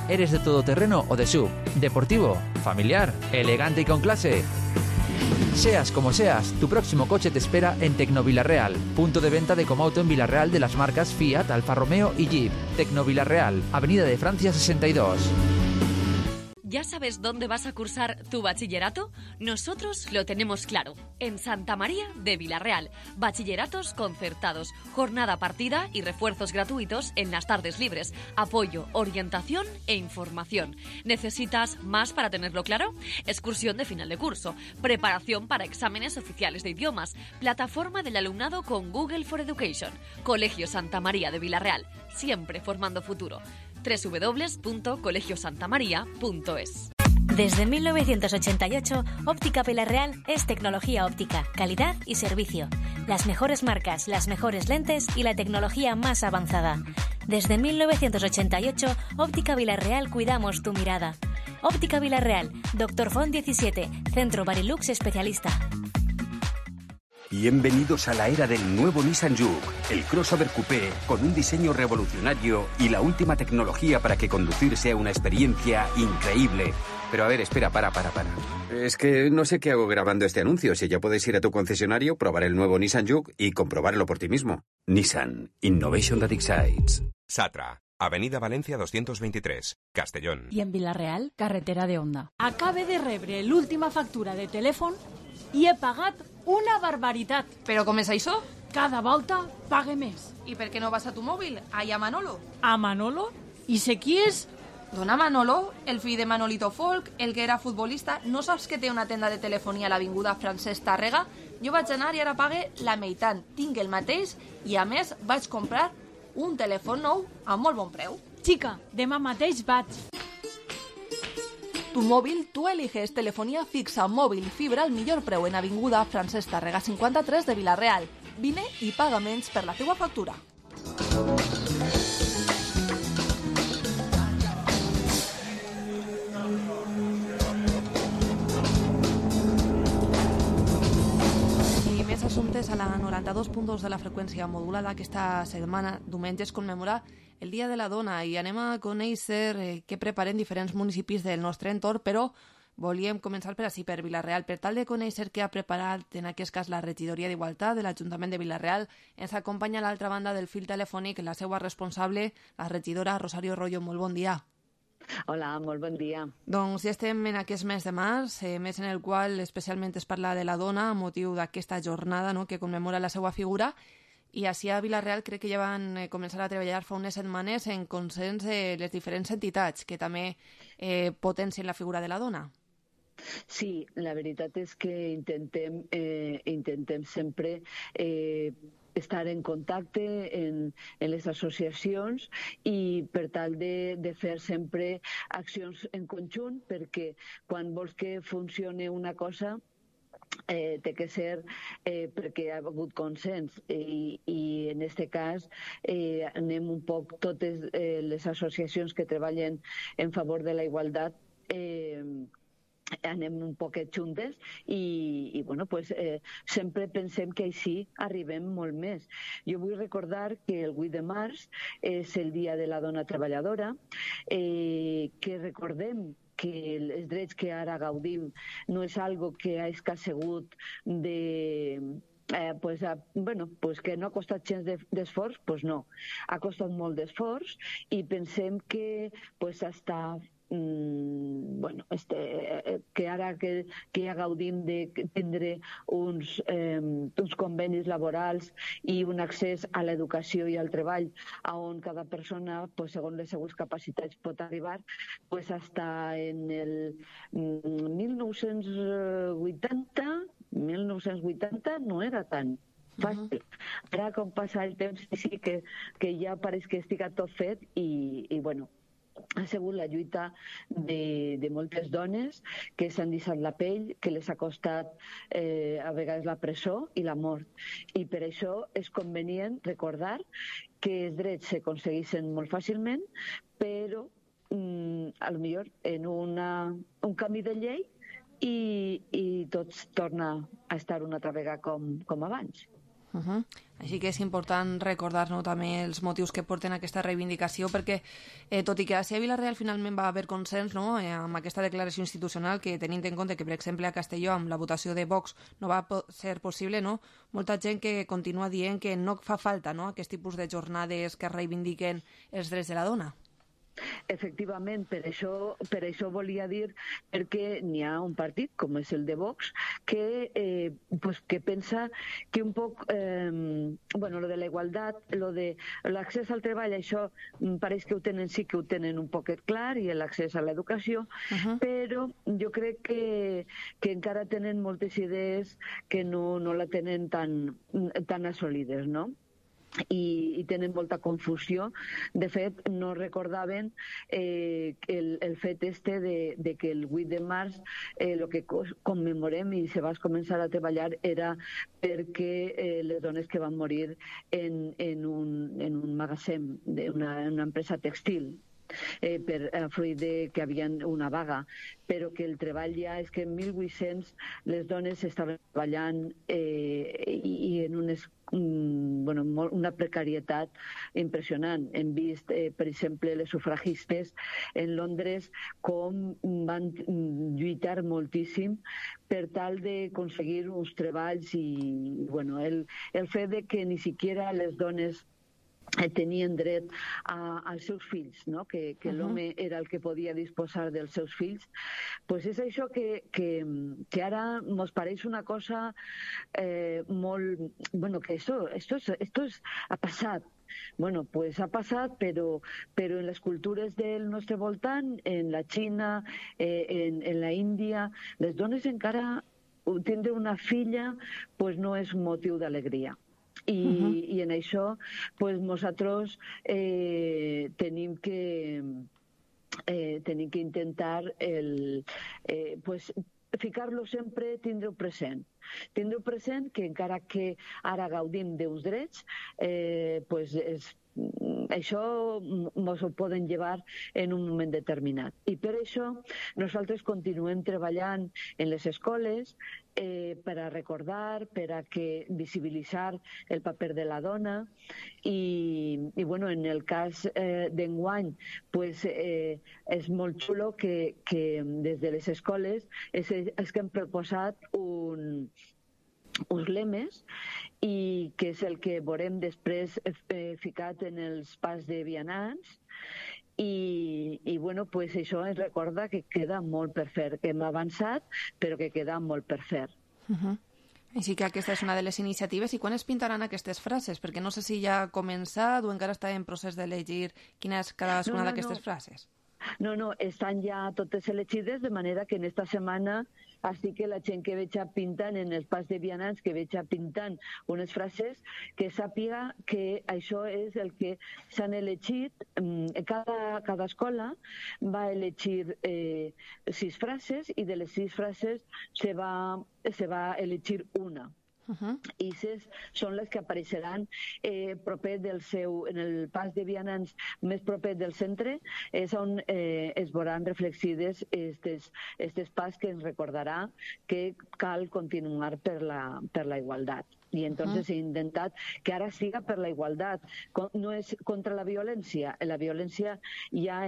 Speaker 8: ¿Eres de todoterreno o de SUV? ¿Deportivo? ¿Familiar? ¿Elegante y con clase? Seas como seas, tu próximo coche te espera en Tecnovilarreal, punto de venta de Comauto en Vilarreal de las marcas Fiat, Alfa Romeo y Jeep. Tecnovilarreal, Avenida de Francia 62.
Speaker 10: ¿Ya sabes dónde vas a cursar tu bachillerato? Nosotros lo tenemos claro. En Santa María de Vilarreal. Bachilleratos concertados, jornada partida y refuerzos gratuitos en las tardes libres. Apoyo, orientación e información. ¿Necesitas más para tenerlo claro? Excursión de final de curso, preparación para exámenes oficiales de idiomas, plataforma del alumnado con Google for Education. Colegio Santa María de Vilarreal, siempre formando futuro. www.colegiosantamaria.es.
Speaker 13: Desde 1988, Óptica Vilarreal es tecnología óptica, calidad y servicio. Las mejores marcas, las mejores lentes y la tecnología más avanzada. Desde 1988, Óptica Vilarreal cuidamos tu mirada. Óptica Vilarreal, Dr. Font 17, Centro Barilux Especialista.
Speaker 14: Bienvenidos a la era del nuevo Nissan Juke, el crossover coupé con un diseño revolucionario y la última tecnología para que conducir sea una experiencia increíble. Pero a ver, espera, para. Es que no sé qué hago grabando este anuncio. Si ya puedes ir a tu concesionario, probar el nuevo Nissan Juke y comprobarlo por ti mismo. Nissan, Innovation that excites.
Speaker 15: Satra, Avenida Valencia 223, Castellón.
Speaker 16: I en Vilarreal, carretera de Onda. Acabe de rebre l'última factura de telèfon i he pagat una barbaritat.
Speaker 4: Però com és això?
Speaker 16: Cada volta pague més.
Speaker 4: I per què no vas a tu mòbil? Allà a Manolo.
Speaker 16: A Manolo? I sé qui és?
Speaker 4: Dona Manolo, el fill de Manolito Folk, el que era futbolista. No saps que té una tenda de telefonia a l'avinguda Francesc Tàrrega? Jo vaig anar i ara pague la meitat. Tinc el mateix i, a més, vaig comprar un telèfon nou a molt bon preu.
Speaker 16: Xica, demà mateix vaig.
Speaker 4: Tu mòbil, tu eliges telefonia fixa, mòbil i fibra al millor preu en avinguda Francesc Tàrrega 53 de Vilarreal. Vine i paga menys per la teua factura. I més assumptes a la 92.2 de la freqüència modulada. Aquesta setmana, diumenge, es commemora el Dia de la Dona i anem a conèixer què preparen diferents municipis del nostre entorn, però volíem començar per ací, per Vilarreal. Per tal de conèixer què ha preparat en aquest cas la regidoria d'Igualtat de l'Ajuntament de Vilarreal, ens acompanya a l'altra banda del fil telefònic la seva responsable, la regidora Rosario Royo. Molt bon dia.
Speaker 17: Hola, molt bon dia.
Speaker 4: Doncs ja estem en aquest mes de març, mes en el qual especialment es parla de la dona a motiu d'aquesta jornada, no?, que commemora la seva figura. I així a Vilarreal crec que ja van començar a treballar fa unes setmanes en consens les diferents entitats que també potencien la figura de la dona.
Speaker 17: Sí, la veritat és que intentem sempre estar en contacte en les associacions i per tal de fer sempre accions en conjunt, perquè quan vols que funcioni una cosa té que ser perquè hi ha hagut consens i en aquest cas anem un poc totes les associacions que treballen en favor de la igualtat anem un poquet juntes i bueno, pues, sempre pensem que així arribem molt més. Jo vull recordar que el 8 de març és el Dia de la Dona Treballadora, que recordem que els drets que ara gaudim no és algo que ha escassegut que no ha costat gens d'esforç, doncs no. Ha costat molt d'esforç i pensem que que ara encara que ja gaudim de tindre uns convenis laborals i un accés a l'educació i al treball on cada persona, pues, segons les seues capacitats, pot arribar, pues, hasta en el 1980 no era tan fàcil. Ara, com passa el temps, sí que ja pareix que estiga tot fet i bueno, ha sigut la lluita de moltes dones que s'han deixat la pell, que les ha costat a vegades la presó i la mort. I per això és convenient recordar que els drets s'aconsegueixen molt fàcilment, però a lo millor en un canvi de llei i tot torna a estar una altra vegada com abans.
Speaker 4: Així que és important recordar-nos també els motius que porten aquesta reivindicació, perquè tot i que a Vilareal finalment va haver consens, no, amb aquesta declaració institucional, que tenint en compte que, per exemple, a Castelló amb la votació de Vox no va ser possible, no, molta gent que continua dient que no fa falta, no, aquest tipus de jornades que reivindiquen els drets de la dona.
Speaker 17: Efectivament, per això volia dir, perquè n'hi ha un partit, com és el de Vox, que pensa que un poc, lo de la igualtat, lo de l'accés al treball, això pareix que sí que ho tenen un poquet clar, i l'accés a l'educació, però jo crec que encara tenen moltes idees que no la tenen tan assolides, no? I tenen molta confusió. De fet, no recordaven el fet de que el 8 de març el que commemorem i se va començar a treballar era perquè les dones que van morir en un magatzem d'una empresa textil, fruit que havia una vaga, però que el treball ja és que en 1800 les dones estaven treballant i en una precarietat impressionant. Hem vist, per exemple, les sufragistes en Londres com van lluitar moltíssim per tal d'aconseguir uns treballs i el fet de que ni siquiera les dones tenien dret als seus fills, no? Que l'home era el que podia disposar dels seus fills, pues és això que ara ens pareix una cosa molt... que esto ha passat. Pues ha passat, però en les cultures del nostre voltant, en la Xina, en la Índia, les dones encara tindre una filla pues no és un motiu d'alegria. I en això nosaltres tenim que intentar ficar-lo sempre, tindre-ho present. Tindre-ho present que encara que ara gaudim d'uns drets, això ens ho poden llevar en un moment determinat. I per això nosaltres continuem treballant en les escoles per a recordar, per a visibilitzar el paper de la dona i en el cas d'enguany és molt xulo que des de les escoles és que hem proposat uns lemes i que és el que veurem després ficat en els pas de vianants i això ens recorda que queda molt per fer, que hem avançat però que queda molt per fer.
Speaker 4: Així que aquesta és una de les iniciatives. I quan es pintaran aquestes frases? Perquè no sé si ja ha començat o encara està en procés de llegir quina és cadascuna d'aquestes frases.
Speaker 17: No, estan ja totes elegides, de manera que en esta setmana així que la gent que veig pintant en els pas de vianants, que veig pintant unes frases, que sàpiga que això és el que s'han elegit. Cada escola va elegir 6 frases i de les 6 frases se va elegir una. I són les que apareixeran proper en el pas de vianants més proper del centre, és on es veuran reflexides aquests pas que ens recordarà que cal continuar per la igualtat. Y entonces he intentat que ara siga per la igualtat. No és contra la violència hi ha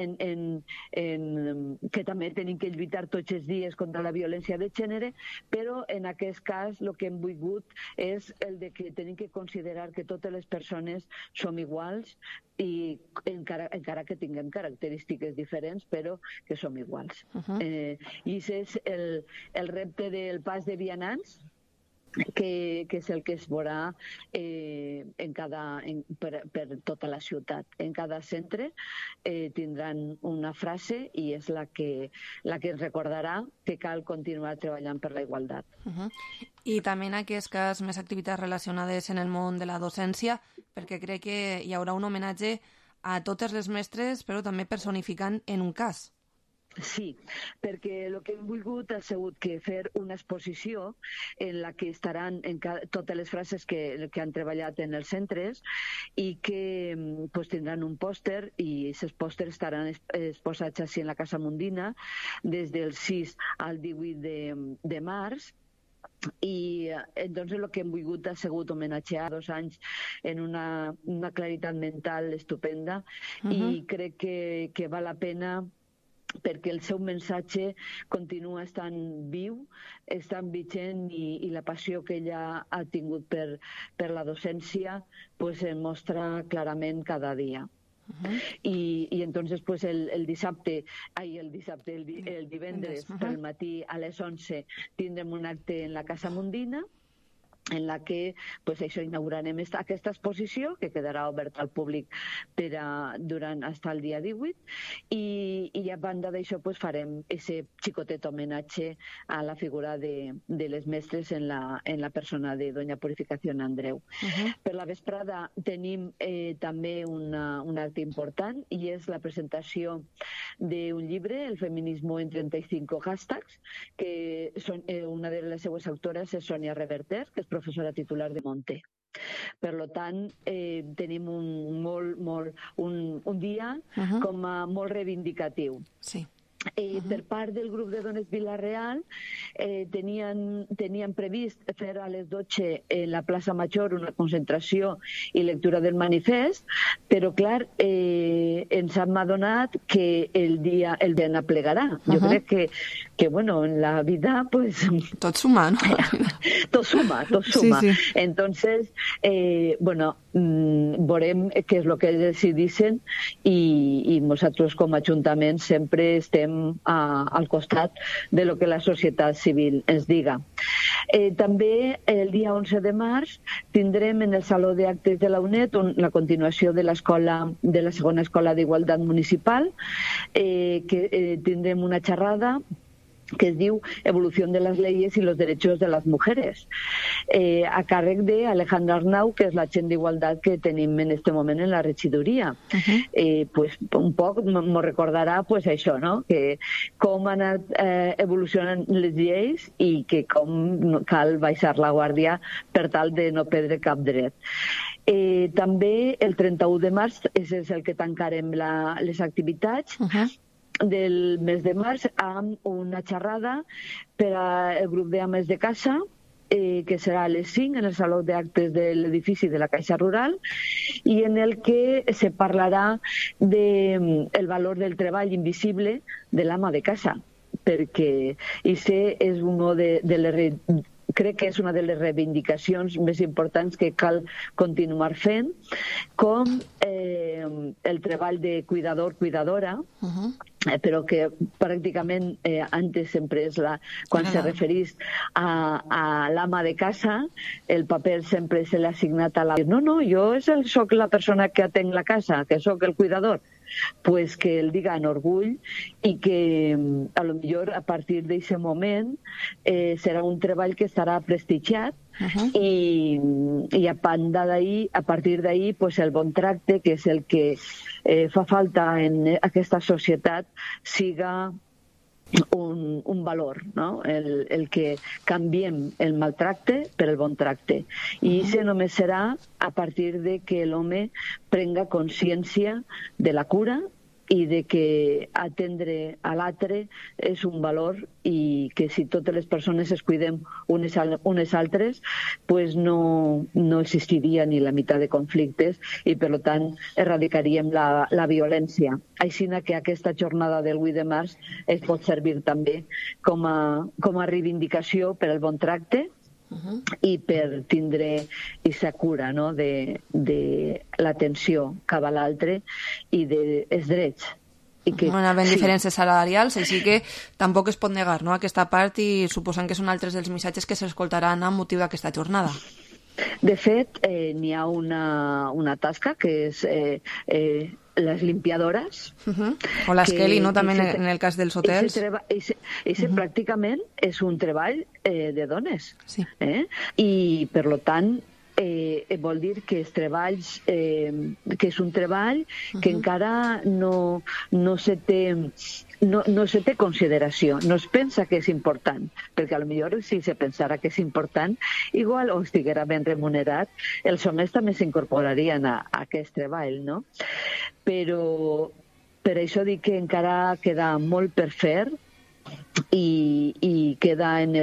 Speaker 17: que també tenim que lluitar tots els dies contra la violència de gènere, però en aquest cas el que hem volgut és el de que tenim que considerar que totes les persones som iguals i encara que tinguem característiques diferents, però que som iguals. I aquest és el repte del pas de vianants, que és el que es veurà per tota la ciutat. En cada centre tindran una frase i és la que ens recordarà que cal continuar treballant per la igualtat.
Speaker 4: I també en aquest cas més activitats relacionades en el món de la docència, perquè crec que hi haurà un homenatge a totes les mestres, però també personificant en un cas.
Speaker 17: Sí, perquè el que hem volgut ha sigut que fer una exposició en la que estaran totes les frases que han treballat en els centres i que tindran un pòster i aquests pòsters estaran exposats així en la Casa Mundina des del 6 al 18 de març. I entonces el que hem volgut ha sigut homenatjar 2 anys en una claritat mental estupenda i crec que val la pena perquè el seu missatge continua estant viu, estant vigent i la passió que ella ha tingut per la docència es mostra clarament cada dia. I entonces el divendres pel matí a les 11 tindrem un acte en la Casa Mundina en la que inaugurarem aquesta exposició que quedarà oberta al públic durant fins al dia 18 i a banda d'això farem aquest xicotet homenatge a la figura de les mestres en la persona de Doña Purificación Andreu. Per la vesprada tenim també un acte important i és la presentació d'un llibre, El feminismo en 35 hashtags, que una de les seues autores és Sonia Reverter, que és professora titular de Monte. Per tant, tenim un dia com a molt reivindicatiu.
Speaker 4: Sí.
Speaker 17: Per part del grup de dones Vila-real tenien previst fer a les 12 en la plaça Major una concentració i lectura del manifest, però clar, ens hem adonat que el dia n'aplegarà. Jo crec que en la vida
Speaker 4: tot suma, ¿no?
Speaker 17: Tot suma. Sí. Entonces, veurem què és el que decidissin i nosaltres com a Ajuntament sempre estem al costat de lo que la societat civil ens diga. També el dia 11 de març tindrem en el Saló d'Actes de la UNED la continuació de la segona escola d'igualtat municipal, que tindrem una xerrada que es diu Evolución de las leyes y los derechos de las mujeres, a càrrec d'Alejandra Arnau, que és l'agent d'igualtat que tenim en aquest moment en la regidoria. Un poc m'ho recordarà això, no? Que com han anat evolucionant les lleis i que com cal baixar la guàrdia per tal de no perdre cap dret. També el 31 de març és el que tancarem les activitats del mes de març amb una xerrada per al grup d'ames de casa, que serà a les 5 en el Saló d'Actes de l'edifici de la Caixa Rural i en el que se parlarà del valor del treball invisible de l'ama de casa, perquè crec que és una de les reivindicacions més importants que cal continuar fent, com el treball de cuidador-cuidadora, però que pràcticament antes sempre és quan se referís a l'ama de casa, el paper sempre se l'ha assignat a la... No, jo soc la persona que atenc la casa, que soc el cuidador. Pues que el diga en orgull i que a lo millor a partir d'aquest moment serà un treball que estarà prestigiat i a partir d'ahir el bon tracte, que és el que fa falta en aquesta societat, siga un valor, no? El que canviem el maltracte per el bon tracte. I això només serà a partir de que l'home prenga consciència de la cura i de que atendre a l'altre és un valor i que si totes les persones es cuidem unes altres, pues no existiria ni la meitat de conflictes i, per tant, erradicaríem la violència. Així que aquesta jornada del 8 de març es pot servir també com a reivindicació per al bon tracte i per tindre aquesta cura, no?, de l'atenció cap a l'altre i dels drets.
Speaker 4: Havent diferències salarials, així que tampoc es pot negar, no?, aquesta part, i suposant que són altres dels missatges que s'escoltaran amb motiu d'aquesta jornada.
Speaker 17: De fet, n'hi ha una tasca que és les limpiadores.
Speaker 4: O l'esqueli, no?, també en el cas dels hotels.
Speaker 17: Ese pràcticament és un treball de dones. I, per tant, vol dir que els treballs, que és un treball que encara no se té consideració, no es pensa que és important, perquè potser si se pensara que és important, igual o estiguera ben remunerat, els homes també s'incorporarien a aquest treball, no? Però per això dic que encara queda molt per fer, i queda en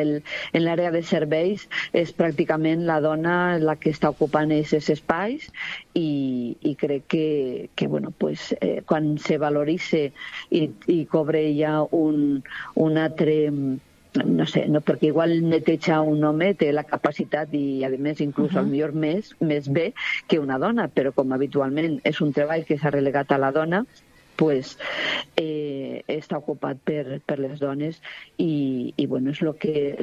Speaker 17: l'àrea de serveis, és pràcticament la dona la que està ocupant aquests espais i crec que bueno, pues, quan se valoritza i cobre ja un altre, no sé, no, perquè igual netejar un home té la capacitat i a més inclús potser més bé que una dona, però com habitualment és un treball que s'ha relegat a la dona, pues, està ocupat per les dones i bueno, és el que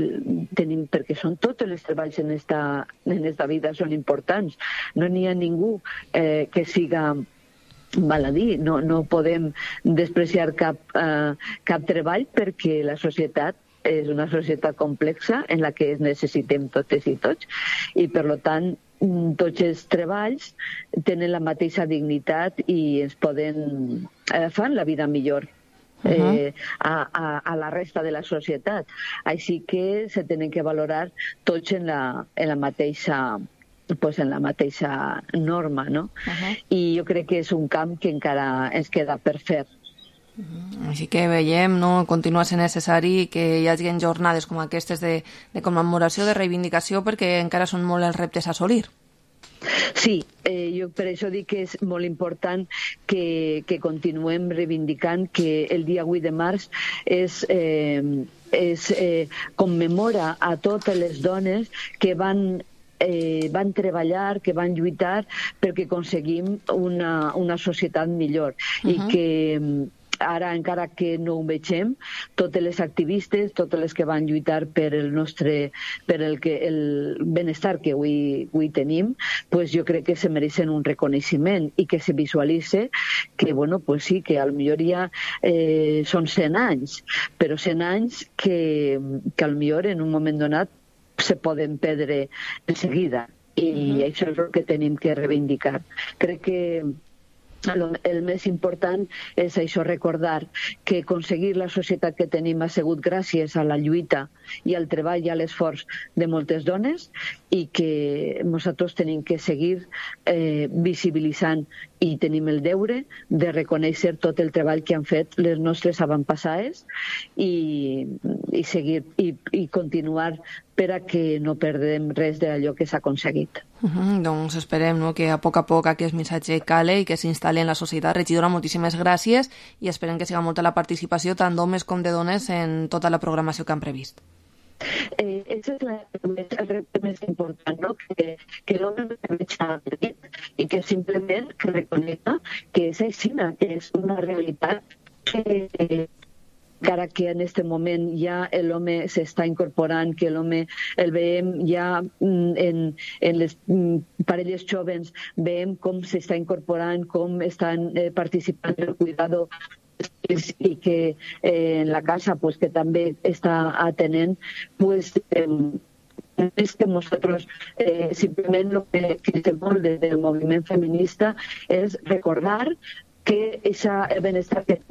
Speaker 17: tenim, perquè són tots els treballs en esta vida són importants. No n'hi ha ningú que siga baladí, no podem despreciar cap treball perquè la societat és una societat complexa en la que es necessitem totes i tots i per tant tots els treballs tenen la mateixa dignitat i ens fan la vida millor a la resta de la societat. Així que se tenen que valorar tots en la mateixa norma, no? I jo crec que és un camp que encara ens queda per fer.
Speaker 4: Així que veiem, no?, continua sent necessari que hi hagi jornades com aquestes de commemoració, de reivindicació, perquè encara són molt els reptes a assolir.
Speaker 17: Sí, jo per això dic que és molt important que continuem reivindicant que el dia 8 de març commemora a totes les dones que van treballar, que van lluitar perquè aconseguim una societat millor i que ara, encara que no ho vegem, totes les activistes, totes les que van lluitar per el benestar que avui tenim, pues jo crec que se mereixen un reconeixement i que se visualitze que, bueno, pues sí, que potser ja són 100 anys, però 100 anys que potser en un moment donat se poden perdre de seguida i això és el que tenim que reivindicar. Crec que el més important és això, recordar que aconseguir la societat que tenim ha sigut gràcies a la lluita i al treball i a l'esforç de moltes dones i que nosaltres tenim que seguir visibilitzant i tenim el deure de reconèixer tot el treball que han fet les nostres avantpassades i seguir i continuar per a que no perdem res d'allò que s'ha aconseguit.
Speaker 4: Doncs esperem, no?, que a poc aquest missatge cale i que s'instal·li en la societat. Regidora, moltíssimes gràcies i esperem que siga molta la participació tant d'homes com de dones en tota la programació que han previst.
Speaker 17: És el repte més important, no?, que l'home no veja i que simplement reconega que és així, que és una realitat que encara que en aquest moment ja l'home s'està incorporant, que l'home el veiem ja en les parelles joves, veiem com s'està incorporant, com estan participant en el cuidado i que en la casa pues, que també està atenent, pues, és que nosaltres simplement el que fem molt des del moviment feminista és recordar que el benestar que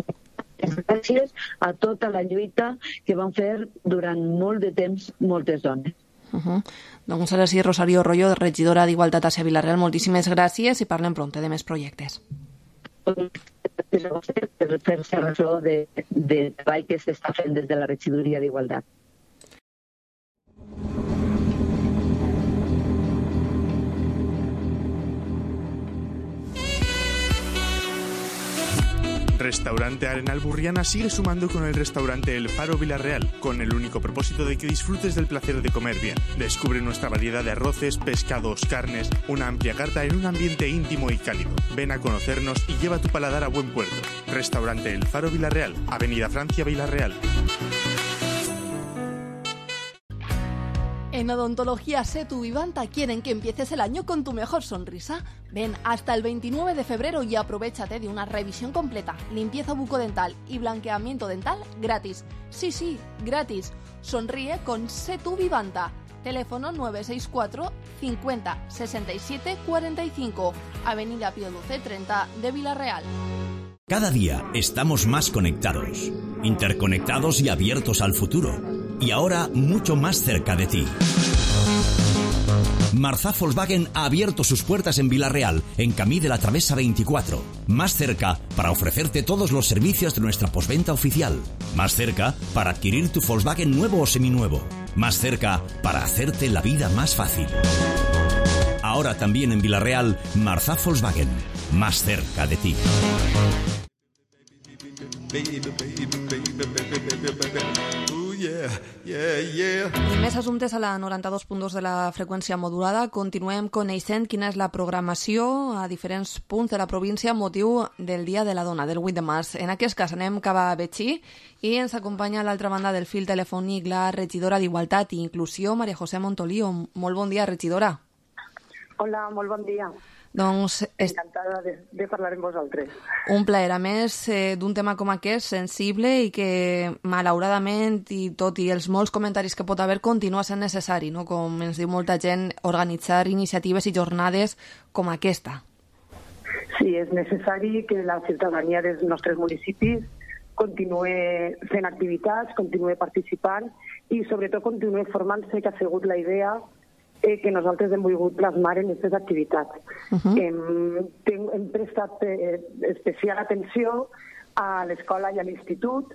Speaker 17: gràcies a tota la lluita que van fer durant molt de temps moltes dones.
Speaker 4: Doncs ara sí, Rosario Royo, regidora d'Igualtat a Vila-real, moltíssimes gràcies i parlem prompte de més projectes.
Speaker 17: per fer-se ressò de treball que s'està fent des de la Regidoria d'Igualtat.
Speaker 9: Restaurante Arenal Burriana sigue sumando con el restaurante El Faro Villarreal, con el único propósito de que disfrutes del placer de comer bien. Descubre nuestra variedad de arroces, pescados, carnes, una amplia carta en un ambiente íntimo y cálido. Ven a conocernos y lleva tu paladar a buen puerto. Restaurante El Faro Villarreal, Avenida Francia Villarreal.
Speaker 4: En Odontología Setu Vivanta quieren que empieces el año con tu mejor sonrisa. Ven hasta el 29 de febrero y aprovéchate de una revisión completa, limpieza bucodental y blanqueamiento dental gratis. Sí, gratis. Sonríe con Setu Vivanta. Teléfono 964 50 67 45, Avenida Pío XII 30 de Villarreal.
Speaker 18: Cada día estamos más conectados, interconectados y abiertos al futuro. Y ahora mucho más cerca de ti. Marzà Volkswagen ha abierto sus puertas en Villarreal, en Camí de la Travesa 24. Más cerca para ofrecerte todos los servicios de nuestra postventa oficial. Más cerca para adquirir tu Volkswagen nuevo o seminuevo. Más cerca para hacerte la vida más fácil. Ahora también en Villarreal, Marzà Volkswagen. Más cerca de ti.
Speaker 4: I més assumptes a la 92.2 de la freqüència modulada. Continuem coneixent quina és la programació a diferents punts de la província amb motiu del Dia de la Dona, del 8 de març. En aquest cas anem cap a Betxí i ens acompanya a l'altra banda del fil telefònic la regidora d'Igualtat i Inclusió, Maria José Montolío. Molt bon dia, regidora.
Speaker 19: Hola, molt bon dia.
Speaker 4: Doncs
Speaker 19: encantada de parlar amb vosaltres.
Speaker 4: Un plaer, a més d'un tema com aquest, sensible i que malauradament, i tot i els molts comentaris que pot haver, continua sent necessari, no? Com ens diu molta gent, organitzar iniciatives i jornades com aquesta.
Speaker 19: Sí, és necessari que la ciutadania dels nostres municipis continuï fent activitats, continuï participant i sobretot continuï formant-se, que ha sigut la idea que nosaltres hem volgut plasmar en aquestes activitats. Hem prestat especial atenció a l'escola i a l'institut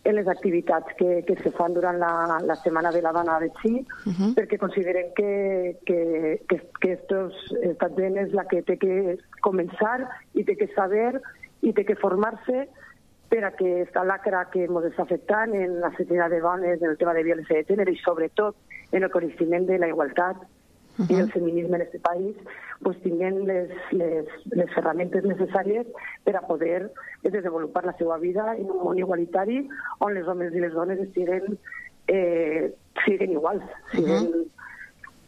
Speaker 19: en les activitats que se fan durant la Setmana de la Dona de Betxí, perquè considerem que esta gent és la que té que començar i té que saber i té que formar-se per a que esta lacra que ens està afectant en l'assassinat de dones, en el tema de violència de gènere i sobretot en el coneixement de la igualtat i el feminisme en aquest país, pues tinguem les ferramentes necessàries per a poder desenvolupar la seva vida en un món igualitari on els homes i les dones siguin iguals,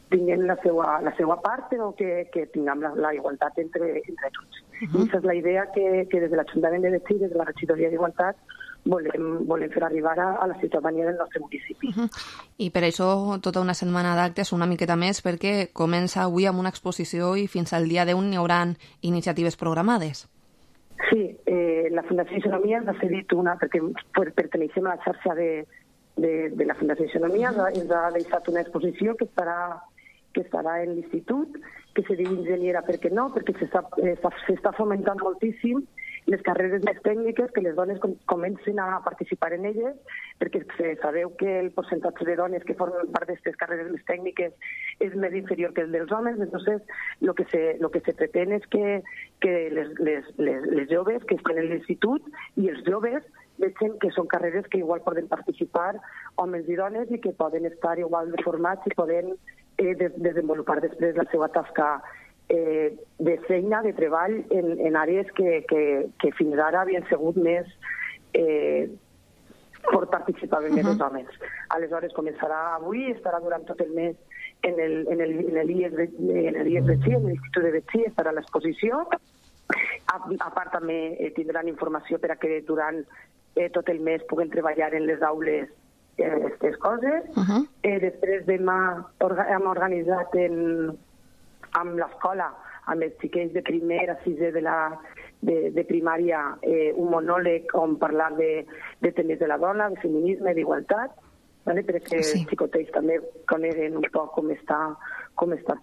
Speaker 19: tinguem la seva part, però que tinguem la igualtat entre tots. I aquesta és la idea que des de l'Ajuntament de Betxí, des de la Regidoria d'Igualtat, volem fer arribar a la ciutadania del nostre municipi.
Speaker 4: I per això tota una setmana d'actes, una miqueta més, perquè comença avui amb una exposició i fins al dia 10 n'hi haurà iniciatives programades.
Speaker 19: Sí, la Fundació Isonomia ens ha cedit una, perquè perteneixem a la xarxa de la Fundació Isonomia, ens ha deixat una exposició que estarà en l'institut, que se diu Enginyera, per què no? Perquè s'està fomentant moltíssim les carreres més tècniques, que les dones comencin a participar en elles, perquè sabeu que el percentatge de dones que formen part d'aquestes carreres més tècniques és més inferior que el dels homes. Entonces, lo que se pretén és que les joves que estan en l'institut i els joves veuen que són carreres que igual poden participar homes i dones i que poden estar igual de formats i poden desenvolupar després la seva tasca de feina, de treball en àrees que fins ara havien sigut més per participar més els homes. Aleshores començarà avui, estarà durant tot el mes en l'IES Betxí, en l'Institut de Betxí, estarà l'exposició. A part també tindran informació per a que durant tot el mes puguen treballar en les aules aquestes coses. Després demà hem organitzat amb l'escola, amb els xiquets de primer a sisè de primària, un monòleg on parlar de temes de la dona, de feminisme, d'igualtat, perquè els xicotets també coneguen un poc com està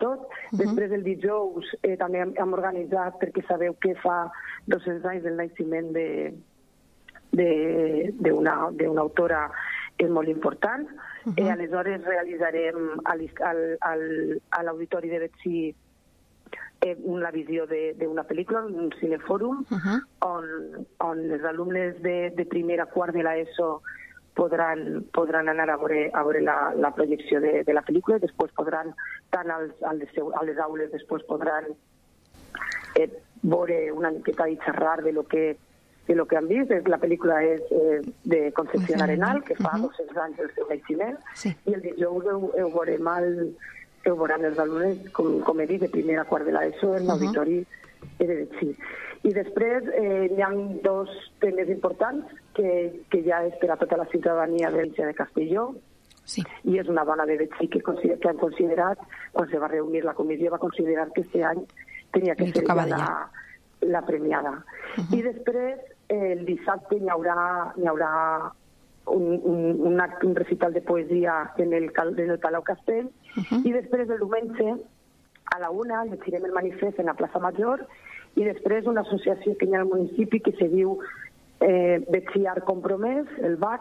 Speaker 19: tot. Després el dijous també hem organitzat, perquè sabeu que fa 200 anys del naixement d'una autora molt important. Aleshores realitzarem a l'Auditori de Betxí la visió d'una pel·lícula, un cinefòrum, on els alumnes de primer a quart de l'ESO podran anar a veure la projecció de la pel·lícula i després podran, tant a les aules, després podran veure una miqueta i xerrar de lo que han vist. La pel·lícula és de Concepción Arenal, que fa 200 anys del seu naixement, i el dijous ho veuran els alumnes, com he dit, de primer a quart de l'ESO en l'auditori de Betxí. I després hi ha dos temes importants que ja és per a tota la ciutadania de Castelló, i és una dona de Betxí que han considerat, quan se va reunir la comissió, va considerar que aquest any tenia que ser la premiada. I després, el dissabte hi haurà un recital de poesia en el Palau Castell, i després el diumenge a la 1 llegirem el manifest en la plaça Major, i després una associació que hi ha al municipi que se diu Betxí Art Compromès, el BAC,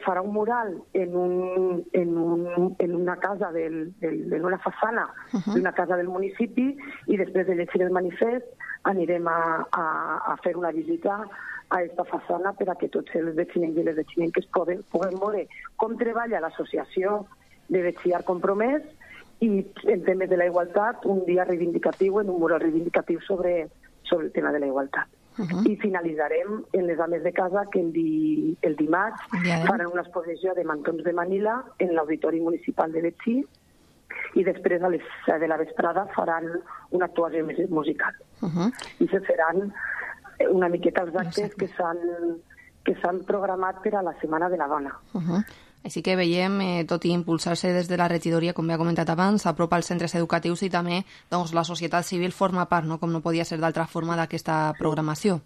Speaker 19: farà un mural en una casa, en una façana d'una casa del municipi, i després de llegir el manifest anirem a fer una visita a aquesta façana per a que tots els veïns i les veïnes puguem veure com treballa l'associació de Betxí Art Compromès i en temes de la igualtat, un dia reivindicatiu, en un mural reivindicatiu sobre el tema de la igualtat. I finalitzarem en les dames de casa, que el dimarts faran una exposició de mantons de Manila en l'Auditori Municipal de Betxí, i després a les 7 de la vesprada faran una actuació musical. I se faran una miqueta els actes que s'han programat per a la Setmana de la Dona.
Speaker 4: Així que veiem, tot i impulsar-se des de la regidoria, com ja he comentat abans, s'apropa als centres educatius i també la societat civil forma part, com no podia ser d'altra forma, d'aquesta programació.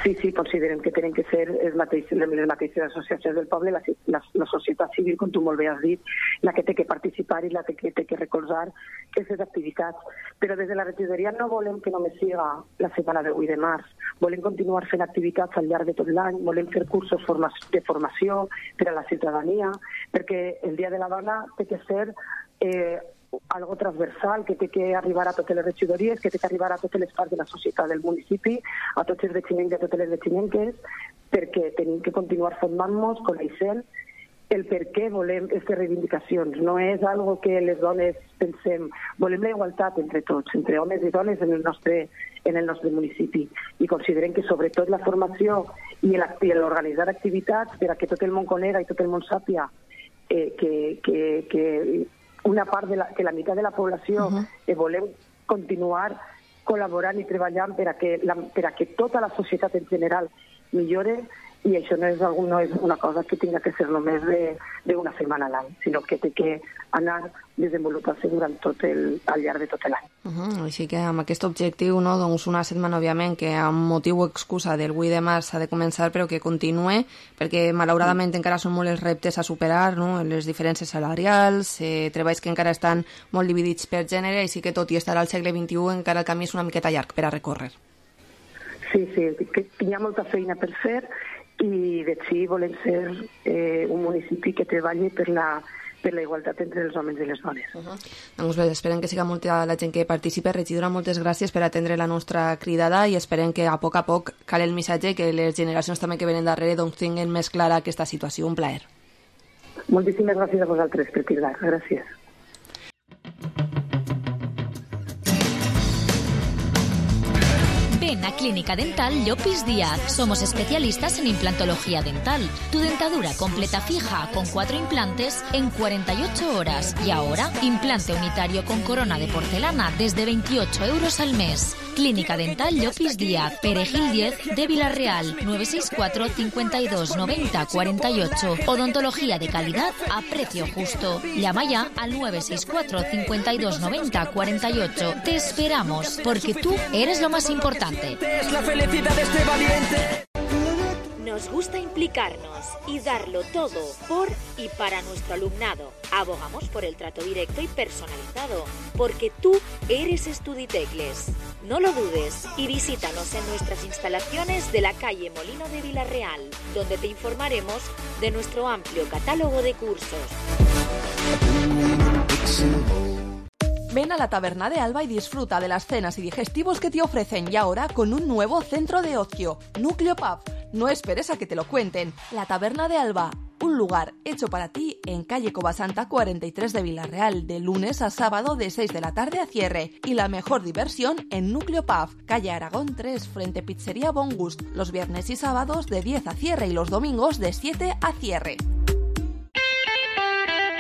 Speaker 19: Sí, considerem que tenen que ser les mateixes associacions del poble, la societat civil, com tu molt bé has dit, la que té que participar i la que té que recolzar aquestes activitats. Però des de la regidoria no volem que només siga la setmana de 8 de març. Volem continuar fent activitats al llarg de tot l'any, volem fer cursos de formació per a la ciutadania, perquè el Dia de la Dona té que ser algo transversal, que té que arribar a totes les regidories, que té que arribar a totes les parts de la societat del municipi, a tots els veïns i a totes les veïnes, perquè tenim que continuar formant-nos, coneixent el per què volem aquestes reivindicacions. No és algo que les dones pensem. Volem la igualtat entre tots, entre homes i dones en el nostre municipi. I considerem que sobretot la formació i l'organitzar activitats per a que tot el món conega i tot el món sàpia que una part que la meitat de la població volem continuar col·laborant i treballant per a que tota la societat en general millore, i això no és una cosa que tinga que ser només d'una setmana a l'any, sinó que té que anar desenvolupant-se durant al llarg de tot l'any.
Speaker 4: Així que amb aquest objectiu, una setmana, òbviament, que amb motiu o excusa del 8 de març ha de començar, però que continue, perquè malauradament encara són molts els reptes a superar, les diferències salarials, treballs que encara estan molt dividits per gènere, així que tot i estar al segle XXI encara el camí és una miqueta llarg per a recórrer.
Speaker 19: Sí, que hi ha molta feina per fer, i Betxí volem ser un municipi que treballi per la igualtat entre els homes i les dones.
Speaker 4: Doncs bé, esperem que siga molta la gent que participi. Regidora, moltes gràcies per atendre la nostra cridada i esperem que a poc cali el missatge, que les generacions també que venen darrere tinguin més clara aquesta situació. Un plaer.
Speaker 19: Moltíssimes gràcies a vosaltres per cridar. Gràcies.
Speaker 2: Ven a Clínica Dental Llopis Díaz. Somos especialistas en implantología dental. Tu dentadura completa fija con 4 implantes en 48 horas. Y ahora, implante unitario con corona de porcelana desde 28 euros al mes. Clínica Dental Llopis Díaz, Perejil 10 de Vilarreal, 964 52 90 48. Odontología de calidad a precio justo. Llama ya al 964 52 90 48. Te esperamos, porque tú eres lo más importante.
Speaker 3: Es la felicidad de este valiente.
Speaker 20: Nos gusta implicarnos y darlo todo por y para nuestro alumnado. Abogamos por el trato directo y personalizado, porque tú eres Estuditecles. No lo dudes y visítanos en nuestras instalaciones de la calle Molino de Vilarreal, donde te informaremos de nuestro amplio catálogo de cursos.
Speaker 4: Ven a la Taberna de Alba y disfruta de las cenas y digestivos que te ofrecen, y ahora con un nuevo centro de ocio, Núcleo Pub. No esperes a que te lo cuenten. La Taberna de Alba, un lugar hecho para ti en calle Covasanta 43 de Vilarreal, de lunes a sábado de 6 de la tarde a cierre. Y la mejor diversión en Núcleo Pub, calle Aragón 3, frente Pizzería Bon Gust, los viernes y sábados de 10 a cierre y los domingos de 7 a cierre.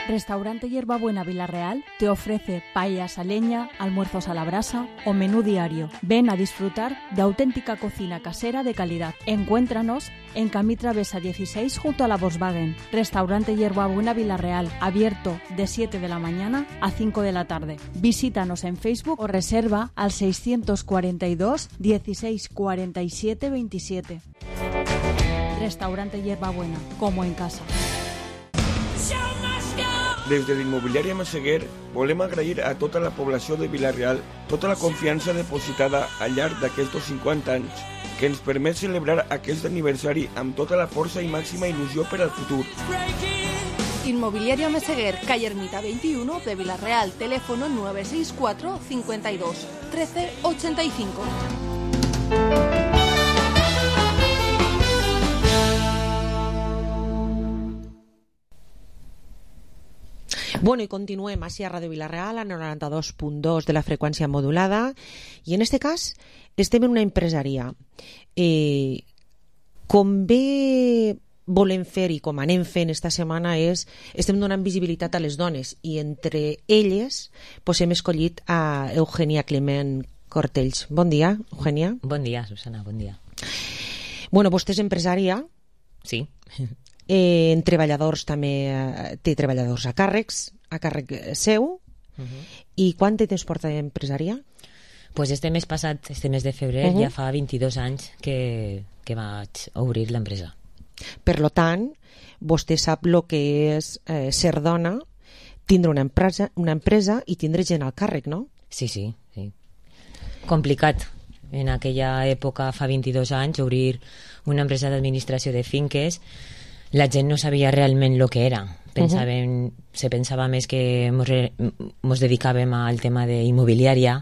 Speaker 16: Restaurante Hierbabuena Vilarreal te ofrece paellas a leña, almuerzos a la brasa o menú diario. Ven a disfrutar de auténtica cocina casera de calidad. Encuéntranos en Camí Travesa 16 junto a la Volkswagen. Restaurante Hierbabuena Vilarreal, abierto de 7 de la mañana a 5 de la tarde. Visítanos en Facebook o reserva al 642 16 47 27. Restaurante Hierbabuena, como en casa.
Speaker 21: Des de l'immobiliària Massaguer volem agrair a tota la població de Vilarreal tota la confiança depositada al llarg d'aquests 50 anys que ens permet celebrar aquest aniversari amb tota la força i màxima il·lusió per al futur.
Speaker 4: Inmobiliaria Meseguer, calle Ermita 21 de Vilarreal, teléfono 964 52 13 85.
Speaker 11: Bueno, y continuem així a Ràdio Vilarreal, a 92.2 de la freqüència modulada, i en este cas estem en una empresaria. Com bé volem fer i com anem fent esta setmana és, estem donant visibilitat a les dones, i entre elles pues, hem escollit a Eugènia Clement Cortells. Bon dia, Eugènia.
Speaker 22: Bon dia, Susana, bon dia.
Speaker 11: Bueno, vostè és empresària.
Speaker 22: Sí.
Speaker 11: En treballadors també té treballadors a càrrec seu. I quant de temps porta d'empresària?
Speaker 22: Pues este mes passat, este mes de febrer, ja fa 22 anys que vaig obrir l'empresa.
Speaker 11: Per lo tant, vostè sap el que és ser dona, tindre una empresa i tindre gent al càrrec, no?
Speaker 22: Sí. Complicat. En aquella època, fa 22 anys, obrir una empresa d'administració de finques, la gent no sabia realment el que era. Se pensava més que ens dedicàvem al tema d'immobiliària,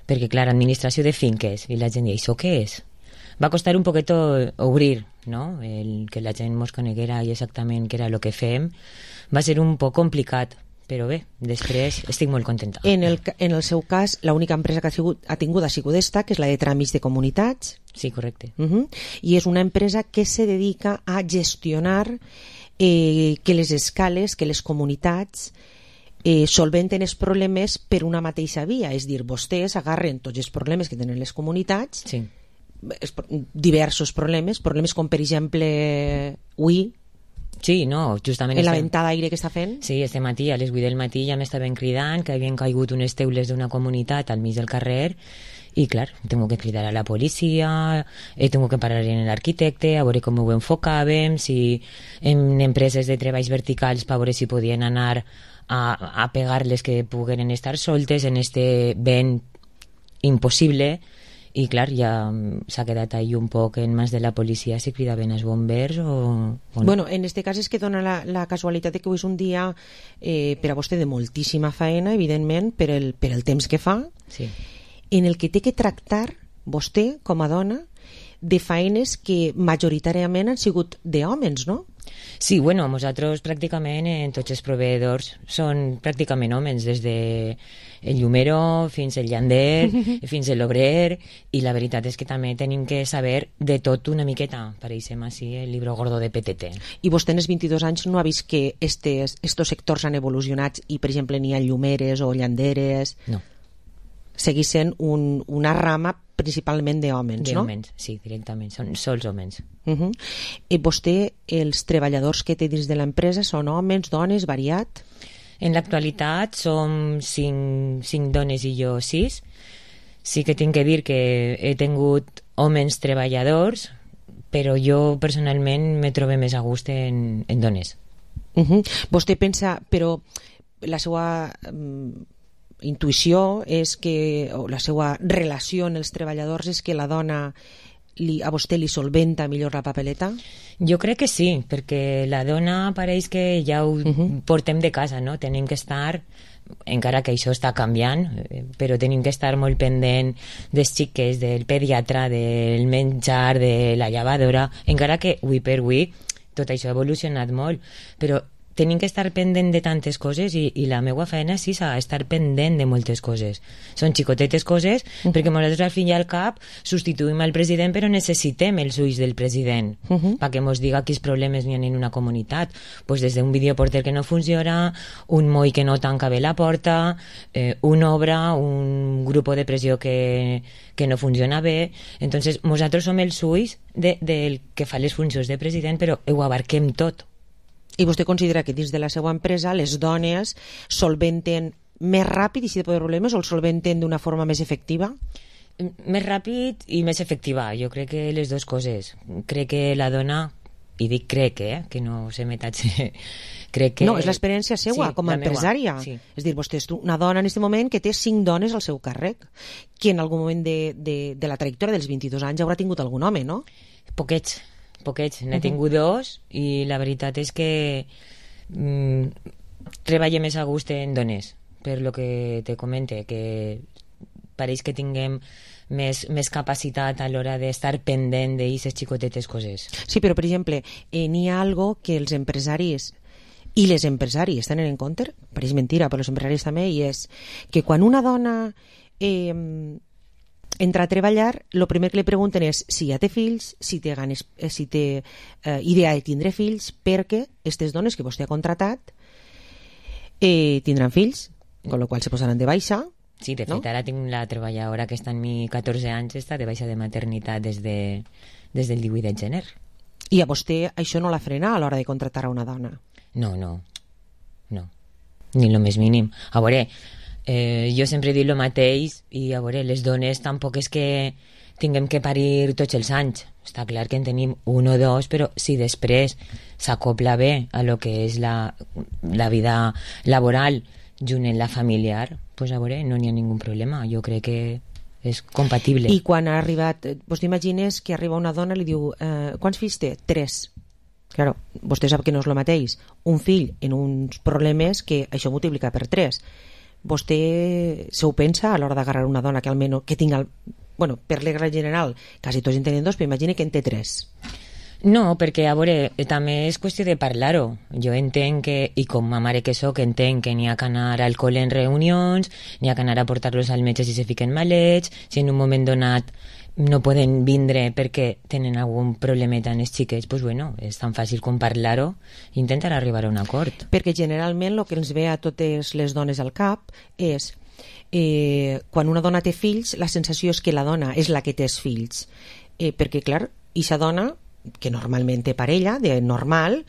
Speaker 22: perquè, clar, administració de finques, i la gent deia, això què és? Va costar un poquet obrir, no? Que la gent ens coneguera i exactament què era el que fem. Va ser un poc complicat, però bé, després estic molt contenta.
Speaker 11: En el seu cas, l'única empresa que ha tingut ha sigut esta, que és la de tràmits de comunitats.
Speaker 22: Sí, correcte.
Speaker 11: I és una empresa que se dedica a gestionar que les escales, que les comunitats solventen els problemes per una mateixa via. És dir, vostès agarren tots els problemes que tenen les comunitats, diversos problemes com per exemple avui,
Speaker 22: sí, no, justament
Speaker 11: en la ventada d'aire que està fent.
Speaker 22: Sí, este matí, a les 8 del matí ja m'estaven cridant que havien caigut unes teules d'una comunitat al mig del carrer i, clar, tengo que cridar a la policia, tengo que parar en l'arquitecte a veure com ho enfocàvem, si en empreses de treballs verticals per veure si podien anar a pegar-les que pogueren estar soltes en este vent impossible. I clar, ja s'ha quedat ahí un poc en mans de la policia si cridaven els bombers o...
Speaker 11: Bueno, en este cas és que dona la casualitat que avui és un dia per a vostè de moltíssima faena, evidentment, per el temps que fa, en el que té que tractar vostè, com a dona, de faenes que majoritàriament han sigut d'hòmens, no?
Speaker 22: Sí, bueno, nosaltres pràcticament en tots els proveïdors són pràcticament homes, des de el llumero fins el llander, fins l'obrer, i la veritat és que també tenim que saber de tot una miqueta, pareixem així el libro gordo de PTT.
Speaker 11: I vostè en els 22 anys no ha vist que estos sectors han evolucionat i, per exemple, n'hi ha llumeres o llanderes?
Speaker 22: No.
Speaker 11: Seguís sent una rama principalment d'hòmens, no?
Speaker 22: D'hòmens, sí, directament, són sols hòmens.
Speaker 11: I vostè, els treballadors que té dins de l'empresa són homes, dones, variat?
Speaker 22: En l'actualitat som 5 dones i jo 6. Sí que tinc que dir que he tingut homes treballadors, però jo personalment me trobo més a gust en dones.
Speaker 11: Vostè pensa, però la seva intuïció és que, o la seva relació amb els treballadors és que la dona a vostè li solventa millor la papeleta?
Speaker 22: Jo crec que sí, perquè la dona pareix que ja ho portem de casa, no? Tenim que estar, encara que això està canviant, però tenim que estar molt pendent dels xiques, del pediatre, del menjar, de la llevadora, encara que avui per avui tot això ha evolucionat molt, però tenim que estar pendent de tantes coses i la meva feina és estar pendent de moltes coses. Són xicotetes coses perquè nosaltres al fin i al cap substituïm el president però necessitem els ulls del president perquè ens diga quins problemes hi ha en una comunitat. Pues des d'un videoporter que no funciona, un moll que no tanca bé la porta, una obra, un grup de pressió que no funciona bé. Entonces nosaltres som els ulls del que fa les funcions de president, però ho abarquem tot.
Speaker 11: I vostè considera que dins de la seva empresa les dones solventen més ràpid i si té problemes o el solventen d'una forma més efectiva?
Speaker 22: Més ràpid i més efectiva. Jo crec que les dues coses. Crec que la dona, i dic crec, que no se metatge, crec que...
Speaker 11: No, és l'experiència seva com a empresària. Sí. És dir, vostè és una dona en aquest moment que té 5 dones al seu càrrec, que en algun moment de la trajectòria dels 22 anys haurà tingut algun home, no?
Speaker 22: Poquets, n'he tingut 2 i la veritat és que treballo més a gust en dones, per lo que te comente, que pareix que tinguem més capacitat a l'hora d'estar pendent d'aquestes xicotetes coses.
Speaker 11: Sí, però per exemple, n'hi ha algo que els empresaris i les empresàries tenen en compte, pareix mentira, però els empresaris també, i és que quan una dona entra a treballar, el primer que li pregunten és si ja té fills, si té idea de tindre fills, perquè aquestes dones que vostè ha contratat tindran fills, amb la qual se posaran de baixa.
Speaker 22: Sí, de fet, ara tinc la treballadora que està en mi 14 anys, està de baixa de maternitat des del 18 de gener.
Speaker 11: I a vostè això no la frena a l'hora de contratar a una dona?
Speaker 22: No, ni el més mínim. A veure, jo sempre dic el mateix i a veure, les dones tampoc és que tinguem que parir tots els anys. Està clar que en tenim 1 o 2, però si després s'acopla bé a lo que és la vida laboral junt en la familiar, pues a veure, no n'hi ha ningun problema. Jo crec que és compatible.
Speaker 11: I quan ha arribat, vos t'imagines que arriba una dona i li diu quants fills té? 3. Claro, vostè sap que no és el mateix un fill en uns problemes que això multiplica per 3. Vostè se ho pensa a l'hora d'agarrar una dona que almenys que tinga, bueno, per regla general quasi tots en tenen 2, però imagina que en té 3.
Speaker 22: No, perquè a veure, també és qüestió de parlar-ho. Jo entenc que, i com a mare que soc, entenc que n'hi ha que anar al col·le en reunions, n'hi ha que anar a portar-los al metge si se fiquen malets, si en un moment donat no poden vindre perquè tenen algun problemeta en els xiquets, doncs bueno, és tan fàcil com parlar-ho i intentar arribar a un acord.
Speaker 11: Perquè generalment el que ens ve a totes les dones al cap és quan una dona té fills, la sensació és que la dona és la que té els fills. Perquè, clar, ixa dona, que normalment té parella, de normal,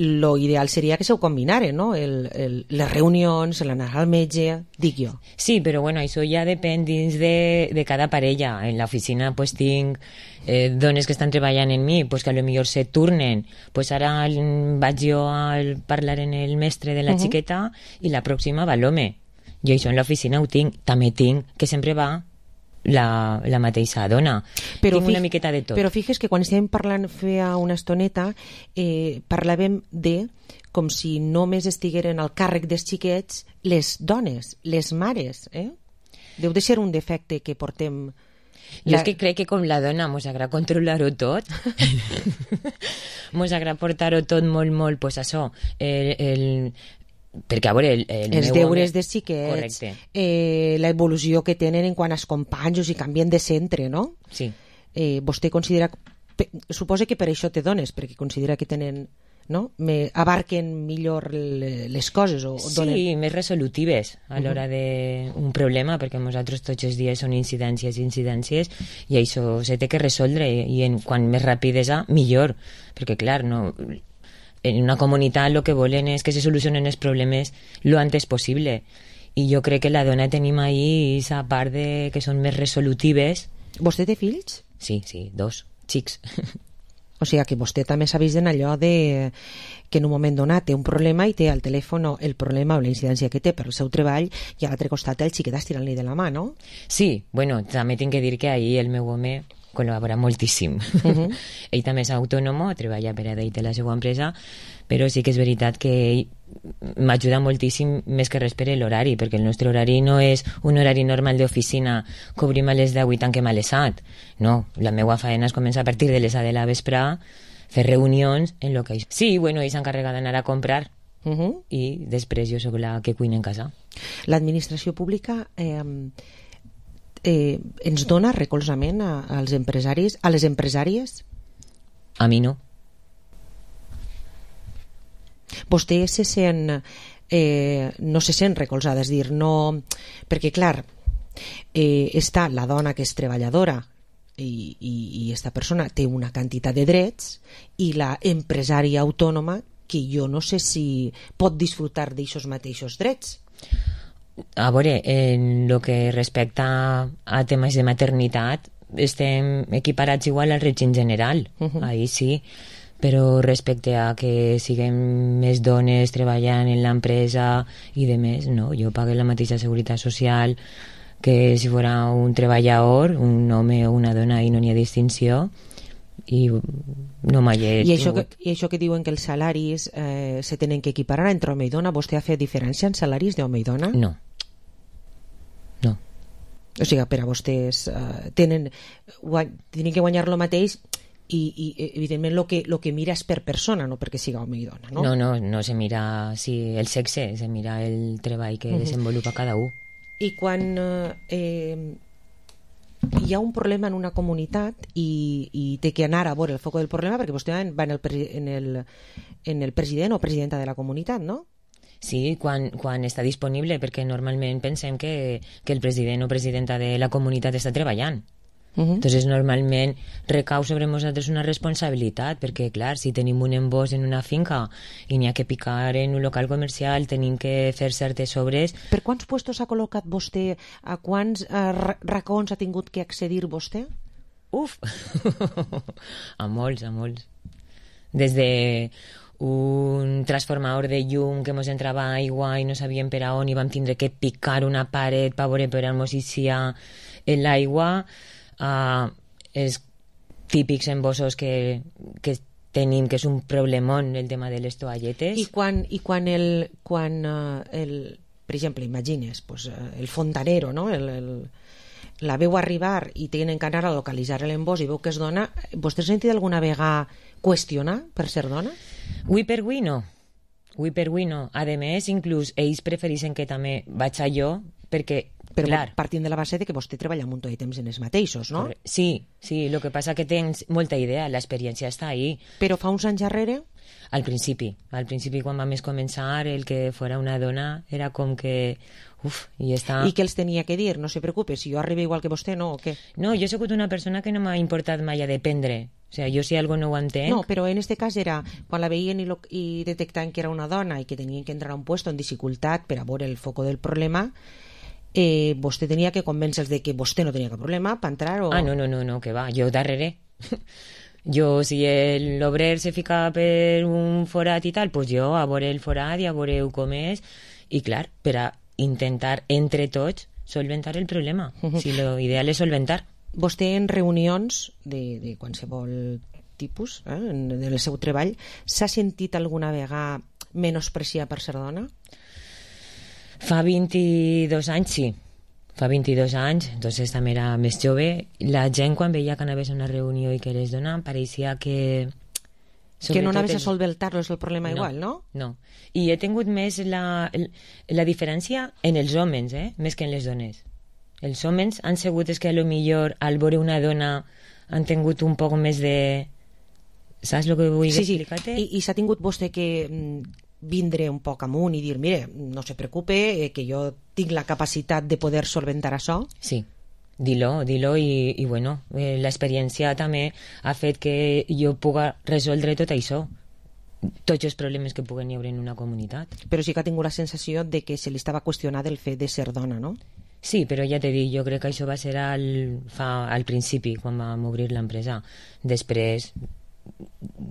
Speaker 11: lo ideal seria que se ho combinaren, no? Les reunions, l'anar al metge, dic jo.
Speaker 22: Sí, però bueno, això ja depèn dins de cada parella. En l'oficina pues tinc dones que estan treballant en mi, pues que a lo millor se turnen, pues ara vaig jo a parlar en el mestre de la xiqueta i la pròxima va l'home. Jo això en l'oficina ho tinc. També tinc que sempre va la mateixa dona. Tinc una miqueta de tot.
Speaker 11: Però fixes que quan estàvem parlant feia una estoneta parlàvem de com si només estigueren al càrrec dels xiquets les dones, les mares. Deu de ser un defecte que portem.
Speaker 22: Jo és que crec que com la dona mos agrada controlar-ho tot, mos agrada portar-ho tot molt, pues això, perquè a veure
Speaker 11: els deures dels xiquets, l'evolució que tenen en quant als companys i canvien de centre, no?
Speaker 22: Sí.
Speaker 11: Vostè considera, suposa que per això té dones, perquè considera que tenen, no? Abarquen millor les coses o donen...
Speaker 22: Sí, més resolutives a l'hora d'un problema, perquè nosaltres tots els dies són incidències i això se té que resoldre i quan més rapidesa millor, perquè clar, no... En una comunitat el que volen és que se solucionen els problemes lo antes possible. I jo crec que la dona tenim ahí esa part de que són més resolutives.
Speaker 11: Vostè té fills?
Speaker 22: Sí, 2, xics.
Speaker 11: O sigui que vostè també s'ha vist en allò de que en un moment donat té un problema i té al telèfon el problema o la incidència que té per el seu treball i a l'altre costat el xiquet estirant-li de la mà, no?
Speaker 22: Sí, bueno, també tinc que dir que ahir el meu home col·labora moltíssim. Ell també és autònom, treballa per a ell té la seva empresa, però sí que és veritat que ell m'ajuda moltíssim més que res per l'horari, perquè el nostre horari no és un horari normal d'oficina, cobrim a les 10 i tanquem a les 7. No, la meva feina es comença a partir de les 7 de la vespre, fer reunions en lo que... Sí, bueno, ell s'encarrega d'anar a comprar i després jo sóc la que cuina en casa.
Speaker 11: L'administració pública ens dona recolzament als empresaris, a les empresàries?
Speaker 22: A mi no.
Speaker 11: Vostè se sent no se sent recolzada, és dir, no, perquè clar, està la dona que és treballadora i esta persona té una quantitat de drets i la empresària autònoma que jo no sé si pot disfrutar d'aixos mateixos drets.
Speaker 22: A veure, en el que respecta a temes de maternitat estem equiparats igual al règim general, ahí sí, però respecte a que siguem més dones treballant en l'empresa i de més, no, jo pagué la mateixa seguretat social que si fora un treballador, un home o una dona, i no n'hi ha distinció, i no mai he tingut.
Speaker 11: I això que diuen que els salaris se tenen que equiparar entre home i dona, vostè ha fet diferència en salaris d'home i dona?
Speaker 22: No. No.
Speaker 11: O sigui, per a vostès tenen que guanyar lo mateix i evidentment lo que mira és per persona, no perquè siga home i dona, no?
Speaker 22: No se mira el sexe, se mira el treball que desenvolupa cada un.
Speaker 11: I quan hi ha un problema en una comunitat i té que anar a veure el foc del problema, perquè vostè va en el president o presidenta de la comunitat, no?
Speaker 22: Sí, quan està disponible, perquè normalment pensem que el president o presidenta de la comunitat està treballant. Entonces normalment recau sobre nosaltres una responsabilitat, perquè clar, si tenim un embòs en una finca i n'hi ha que picar en un local comercial, tenim que fer certes obres.
Speaker 11: Per quants puestos ha col·locat vostè? A quants racons ha tingut que accedir vostè?
Speaker 22: Uf! A molts. Des de un transformador de llum que mos entrava aigua i no sabíem per a on i vam tindre que picar una paret per veure per on mos eixia l'aigua, els típics embossos que tenim, que és un problemón el tema de les toalletes.
Speaker 11: I quan per exemple, imagines el fontanero, no? La veu arribar i tenen que anar a localitzar l'embós i veu que és dona, vostè ha sentit alguna vegada qüestionar per ser dona?
Speaker 22: Ui per ui no. A més, inclús ells prefereixen que també vaig a jo, perquè
Speaker 11: però
Speaker 22: clar,
Speaker 11: partint de la base de que vostè treballa un munt de temps en els mateixos, no?
Speaker 22: Sí, el que passa que tens molta idea, l'experiència està ahí.
Speaker 11: Però fa uns anys darrere?
Speaker 22: Al principi quan vam començar, el que fora una dona era com que i
Speaker 11: què els tenia que dir? No se preocupe, si jo arribo igual que vostè, no, o què?
Speaker 22: No, jo he sigut una persona que no m'ha importat mai a dependre. O sigui, jo si algo no ho entenc...
Speaker 11: No, però en este cas era quan la veien i detectaven que era una dona i que tenien que entrar a un puesto en dificultat per a veure el foco del problema, vostè tenia que convèncer-los de que vostè no tenia cap problema per entrar o...
Speaker 22: No, que va, jo darrere. Jo, si l'obrer se fica per un forat i tal, doncs jo a veure el forat i a veure com és, i clar, per a intentar entre tots solventar el problema. Si l'ideal és solventar.
Speaker 11: Vostè en reunions de qualsevol tipus, en el seu treball, s'ha sentit alguna vegada menospreciar per ser dona?
Speaker 22: Fa 22 anys, sí. Fa 22 anys, entonces també era més jove. La gent, quan veia que anaves a una reunió i que eres dona, pareixia que...
Speaker 11: Que no anaves a solventar-lo, és el problema igual, no?
Speaker 22: No. I he tingut més la diferència en els homes, més que en les dones. Els homes han sigut que a lo millor al veure una dona han tingut un poc més de... Saps el que vull explicar-te?
Speaker 11: I s'ha tingut vostè que vindre un poc amunt i dir, mire, no se preocupe, que jo tinc la capacitat de poder solventar això?
Speaker 22: Sí, dir-lo i bueno, l'experiència també ha fet que jo puga resoldre tot això, tots els problemes que puguen hi haver en una comunitat.
Speaker 11: Però sí que ha tingut la sensació de que se li estava qüestionant el fet de ser dona, no?
Speaker 22: Sí, però ja t'he dit, jo crec que això va ser al principi, quan vam obrir l'empresa. Després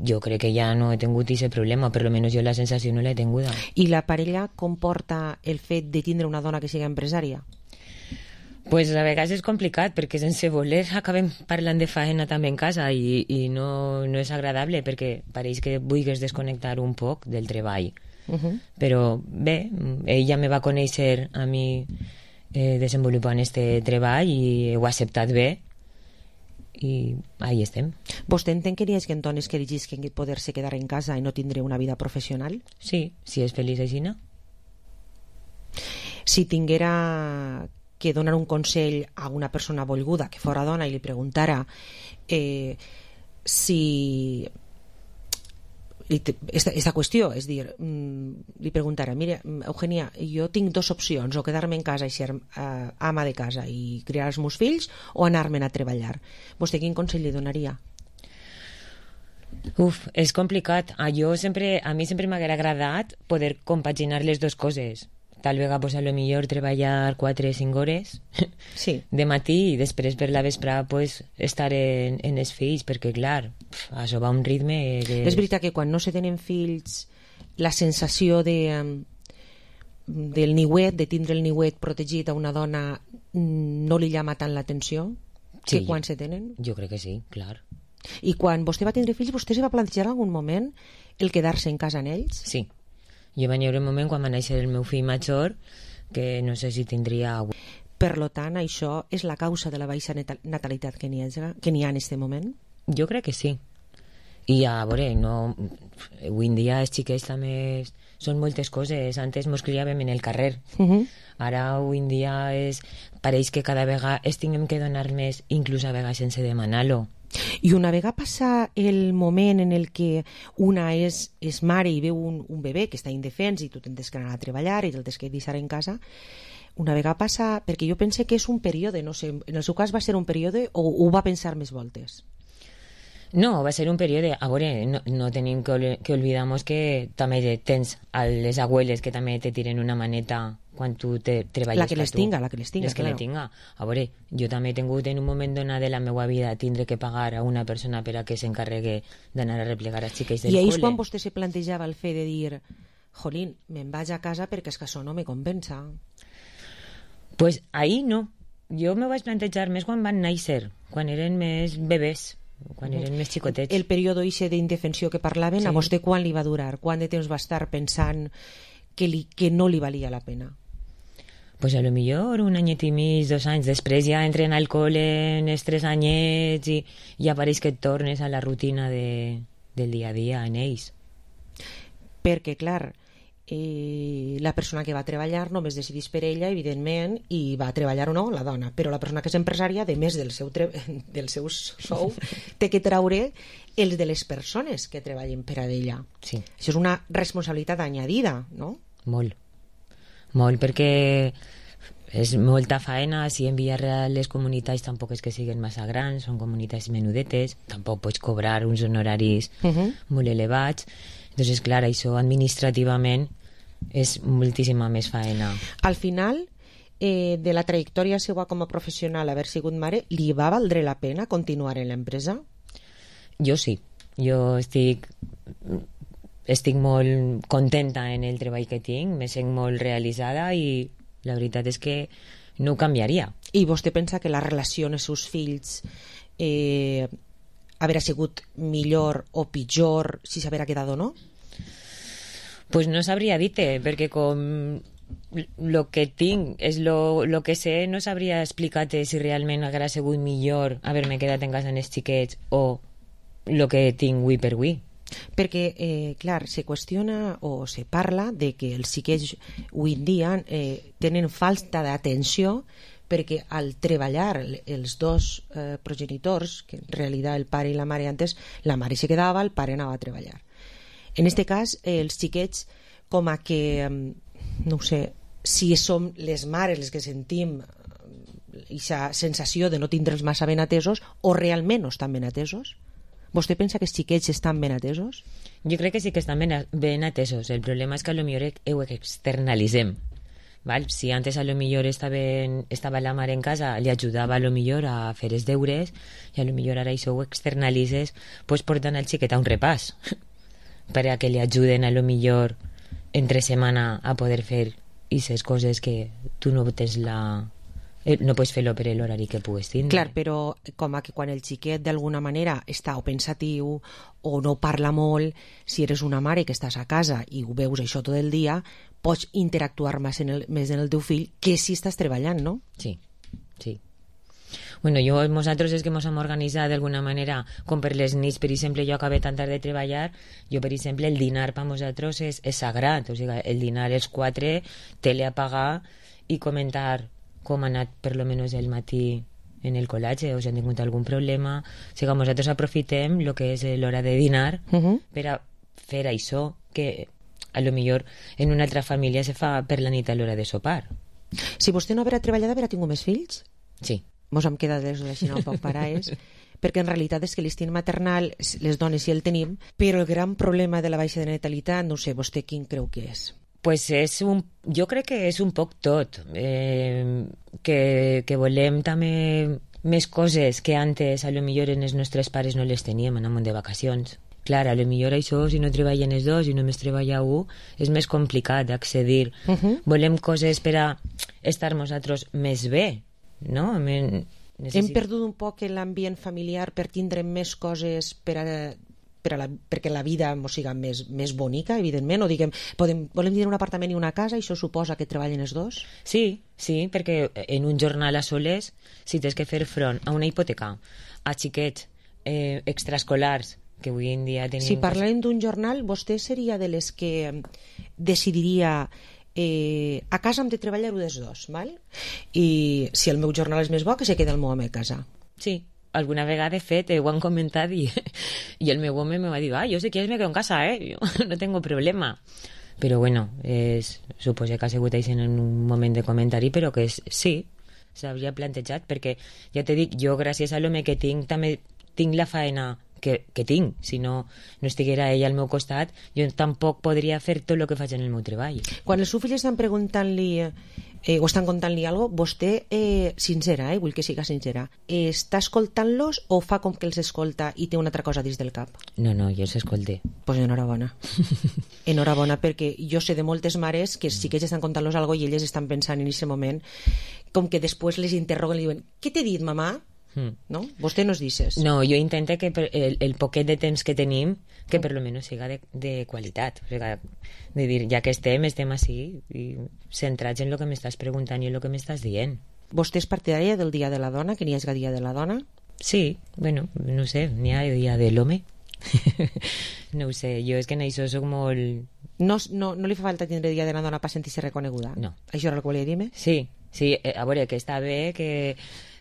Speaker 22: jo crec que ja no he tingut aquest problema, per almenys jo la sensació no l'he tinguda.
Speaker 11: I la parella comporta el fet de tindre una dona que sigui empresària?
Speaker 22: Pues a vegades és complicat, perquè sense voler acabem parlant de faena també en casa i no és agradable, perquè pareix que vulguis desconnectar un poc del treball. Però bé, ella me va conèixer a mi desenvolupant este treball i ho ha acceptat bé i ahí estem.
Speaker 11: Vostè entén que hi ha dones que elegisquen poder-se quedar en casa i no tindre una vida professional?
Speaker 22: Sí, si és feliç així, no?
Speaker 11: Si tinguera que donar un consell a una persona volguda que fora dona i li preguntara si esta qüestió, és dir, li preguntara, mira, Eugènia, jo tinc dues opcions, o quedar-me en casa i ser ama de casa i criar els meus fills, o anar-me'n a treballar. Vostè quin consell li donaria?
Speaker 22: És complicat. A mi sempre m'ha agradat poder compaginar les dues coses. Tal vegada, pues, a lo millor treballar 4 o 5 hores de matí i després per la vesprada pues, estar en els fills, perquè clar, això va a un ritme que...
Speaker 11: És veritat que quan no se tenen fills la sensació del niuet, de tindre el niuet protegit a una dona, no li llama tant l'atenció que quan se tenen?
Speaker 22: Jo crec que sí, clar.
Speaker 11: I quan vostè va tindre fills, vostè se va plantejar en algun moment el quedar-se en casa amb ells?
Speaker 22: Sí. Jo va haver un moment quan va néixer el meu fill major que no sé si tindria...
Speaker 11: Per tant, això és la causa de la baixa natalitat que n'hi ha en aquest moment?
Speaker 22: Jo crec que sí. I a veure, avui en dia els xiquets també són moltes coses. Antes mos criàvem en el carrer. Ara, avui en dia, pareix que cada vegada tinguem que donar més, inclús a vegades sense demanar-lo.
Speaker 11: I una vegada passa el moment en el que una és mare i veu un bebè que està indefens i tu tens que anar a treballar i el tens que deixar en casa, una vegada passa, perquè jo pense que és un període, no sé, en el seu cas va ser un període o ho va pensar més voltes?
Speaker 22: No, va ser un període. A veure, no tenim que oblidar-nos que també tens a les abueles que també te tiren una maneta quan tu treballes
Speaker 11: la que les tinga,
Speaker 22: claro. A veure, jo també he tingut en un moment donat de la meva vida tindre que pagar a una persona per a que s'encarregui d'anar a replegar els xiquets del col·le.
Speaker 11: I és quan vostè se plantejava el fet de dir, jolín, me'n vaig a casa perquè és que això no me compensa?
Speaker 22: Pues ahí no. Jo me vaig plantejar més quan van néixer, quan eren més bebès, quan eren més xicotets.
Speaker 11: El període d'indefensió que parlaven, a vostè quan li va durar? Quant de temps va estar pensant que no li valia la pena?
Speaker 22: Pues a lo millor un anyet i mig, 2 anys. Després ja entren al col·le en els 3 anyets i apareix que et tornes a la rutina del dia a dia en ells.
Speaker 11: Perquè, clar, la persona que va treballar només decideix per ella, evidentment, i va treballar o no, la dona. Però la persona que és empresària, a més del seu sou, té que treure els de les persones que treballen per a ella.
Speaker 22: Sí.
Speaker 11: Això és una responsabilitat añadida, no?
Speaker 22: Molt, perquè és molta faena. Si en Villarreal les comunitats tampoc és que siguin massa grans, són comunitats menudetes, tampoc pots cobrar uns honoraris molt elevats. Entonces, clar, això administrativament és moltíssima més faena.
Speaker 11: Al final de la trajectòria seva com a professional, haver sigut mare, li va valdre la pena continuar en l'empresa?
Speaker 22: Jo sí. Jo estic molt contenta en el treball que tinc, me sent molt realitzada i la veritat és que no ho canviaria.
Speaker 11: I vostè pensa que la relació amb els seus fills haurà sigut millor o pitjor si s'haguera quedat o no?
Speaker 22: Pues no sabria dir-te, perquè com lo que tinc és lo que sé, no sabria explicar-te si realment haguera sigut millor haver-me quedat en casa amb els xiquets o lo que tinc avui per avui.
Speaker 11: Perquè, clar, se qüestiona o se parla de que els xiquets avui en dia tenen falta d'atenció perquè al treballar els dos progenitors, que en realitat el pare i la mare antes, la mare se quedava, el pare anava a treballar. En este cas, els xiquets, com a que, no ho sé, si som les mares les que sentim aquesta sensació de no tindre'ls massa ben atesos o realment no estan ben atesos? ¿Vostè pensa que els xiquets estan ben atesos?
Speaker 22: Jo crec que sí que estan ben atesos. El problema és que potser ho externalitzem. Val? Si antes a lo millor estava la mare en casa, li ajudava a lo millor a fer els deures, i a lo millor ara això ho externalitzes, pues portant el xiquet a un repàs per a que li ajuden a lo millor entre setmana a poder fer aquestes coses que tu no tens no pots fer-lo per l'horari que puguis tindre.
Speaker 11: Clar, però com que quan el xiquet d'alguna manera està o pensatiu o no parla molt, si eres una mare que estàs a casa i ho veus això tot el dia, pots interactuar més en el teu fill que si estàs treballant, no?
Speaker 22: Sí. Bueno, nosaltres és que ens hem organitzat d'alguna manera, com per les nits, per exemple, jo acabé tan tard de treballar, jo, per exemple, el dinar per nosaltres és sagrat, o sigui, el dinar és 4, tele apagar i comentar com ha anat per lo menos el matí en el col·legi, o si han tingut algun problema. O sigui, nosaltres aprofitem el que és l'hora de dinar per a fer això que a lo millor en una altra família se fa per la nit a l'hora de sopar.
Speaker 11: Si vostè no haurà treballat, haurà tingut més fills?
Speaker 22: Sí.
Speaker 11: Mos hem quedat des així un poc parades, perquè en realitat és que l'instint maternal les dones sí el tenim, però el gran problema de la baixa de natalitat, no sé, vostè quin creu que és?
Speaker 22: Pues jo crec que és un poc tot, que volem també més coses que antes a lo millor en els nostres pares no les teníem, anàvem de vacacions. Clar, a lo millor això, si no treballen els dos i només treballa un, és més complicat d'accedir. Volem coses per a estar nosaltres més bé, no?
Speaker 11: Hem perdut un poc l'ambient familiar per tindre més coses perquè la vida ens siga més bonica, evidentment, o diguem, volem tenir un apartament i una casa, i això suposa que treballen els dos?
Speaker 22: Sí, perquè en un jornal a soles, si tens que fer front a una hipoteca, a xiquets extraescolars, que avui en dia tenim...
Speaker 11: Si parlem d'un jornal, vostè seria de les que decidiria a casa hem de treballar un dels dos, val? I si el meu jornal és més bo, que se queda el meu home a casa.
Speaker 22: Sí, alguna vegada, de fet, ho han comentat i el meu home me va dir, jo si quieres me quedo en casa, yo no tengo problema. Però bueno, suposo que ha sigut en un moment de comentari, però que sí, s'havia plantejat, perquè ja te dic, jo gràcies a l'home que tinc, també tinc la faena que tinc. Si no estiguera ella al meu costat, jo tampoc podria fer tot el que faig en el meu treball.
Speaker 11: Quan els seus fills estan preguntant-li o estan contant-li alguna cosa, vostè, sincera, vull que siga sincera, està escoltant-los o fa com que els escolta i té una altra cosa dins del cap?
Speaker 22: No, jo els escolté.
Speaker 11: Pues enhorabona. Enhorabona, perquè jo sé de moltes mares que sí que ells estan contant-los alguna cosa i elles estan pensant en aquest moment, com que després les interroguen i diuen, què t'he dit, mamà? No? Vostè no es dices.
Speaker 22: No, jo intento que el poquet de temps que tenim, que per lo menos siga de qualitat, o sigui, de dir, ja que estem així i centrats en el que m'estàs preguntant i en el que m'estàs dient.
Speaker 11: Vostè és partidària del Dia de la Dona, que n'hi hagi Dia de la Dona?
Speaker 22: Sí, bueno, no sé, n'hi ha Dia de l'Home. No ho sé, jo és que en això soc molt...
Speaker 11: No li fa falta tindre Dia de la Dona per sentir-se reconeguda?
Speaker 22: No.
Speaker 11: Això era el que volia dir-me?
Speaker 22: Sí, a veure, que està bé que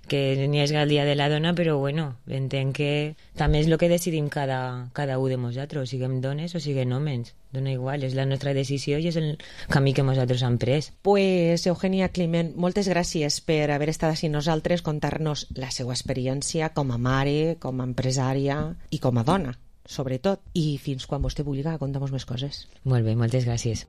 Speaker 22: n'hi hagi el Dia de la Dona, però bueno, entenc que també és el que decidim cada un de nosaltres, siguem dones o siguem homes, dona igual, és la nostra decisió i és el camí que nosaltres hem pres.
Speaker 11: Pues Eugenia Climent, moltes gràcies per haver estat així nosaltres, contar-nos la seva experiència com a mare, com a empresària i com a dona, sobretot, i fins quan vostè vulgui contar-nos més coses.
Speaker 22: Molt bé, moltes gràcies.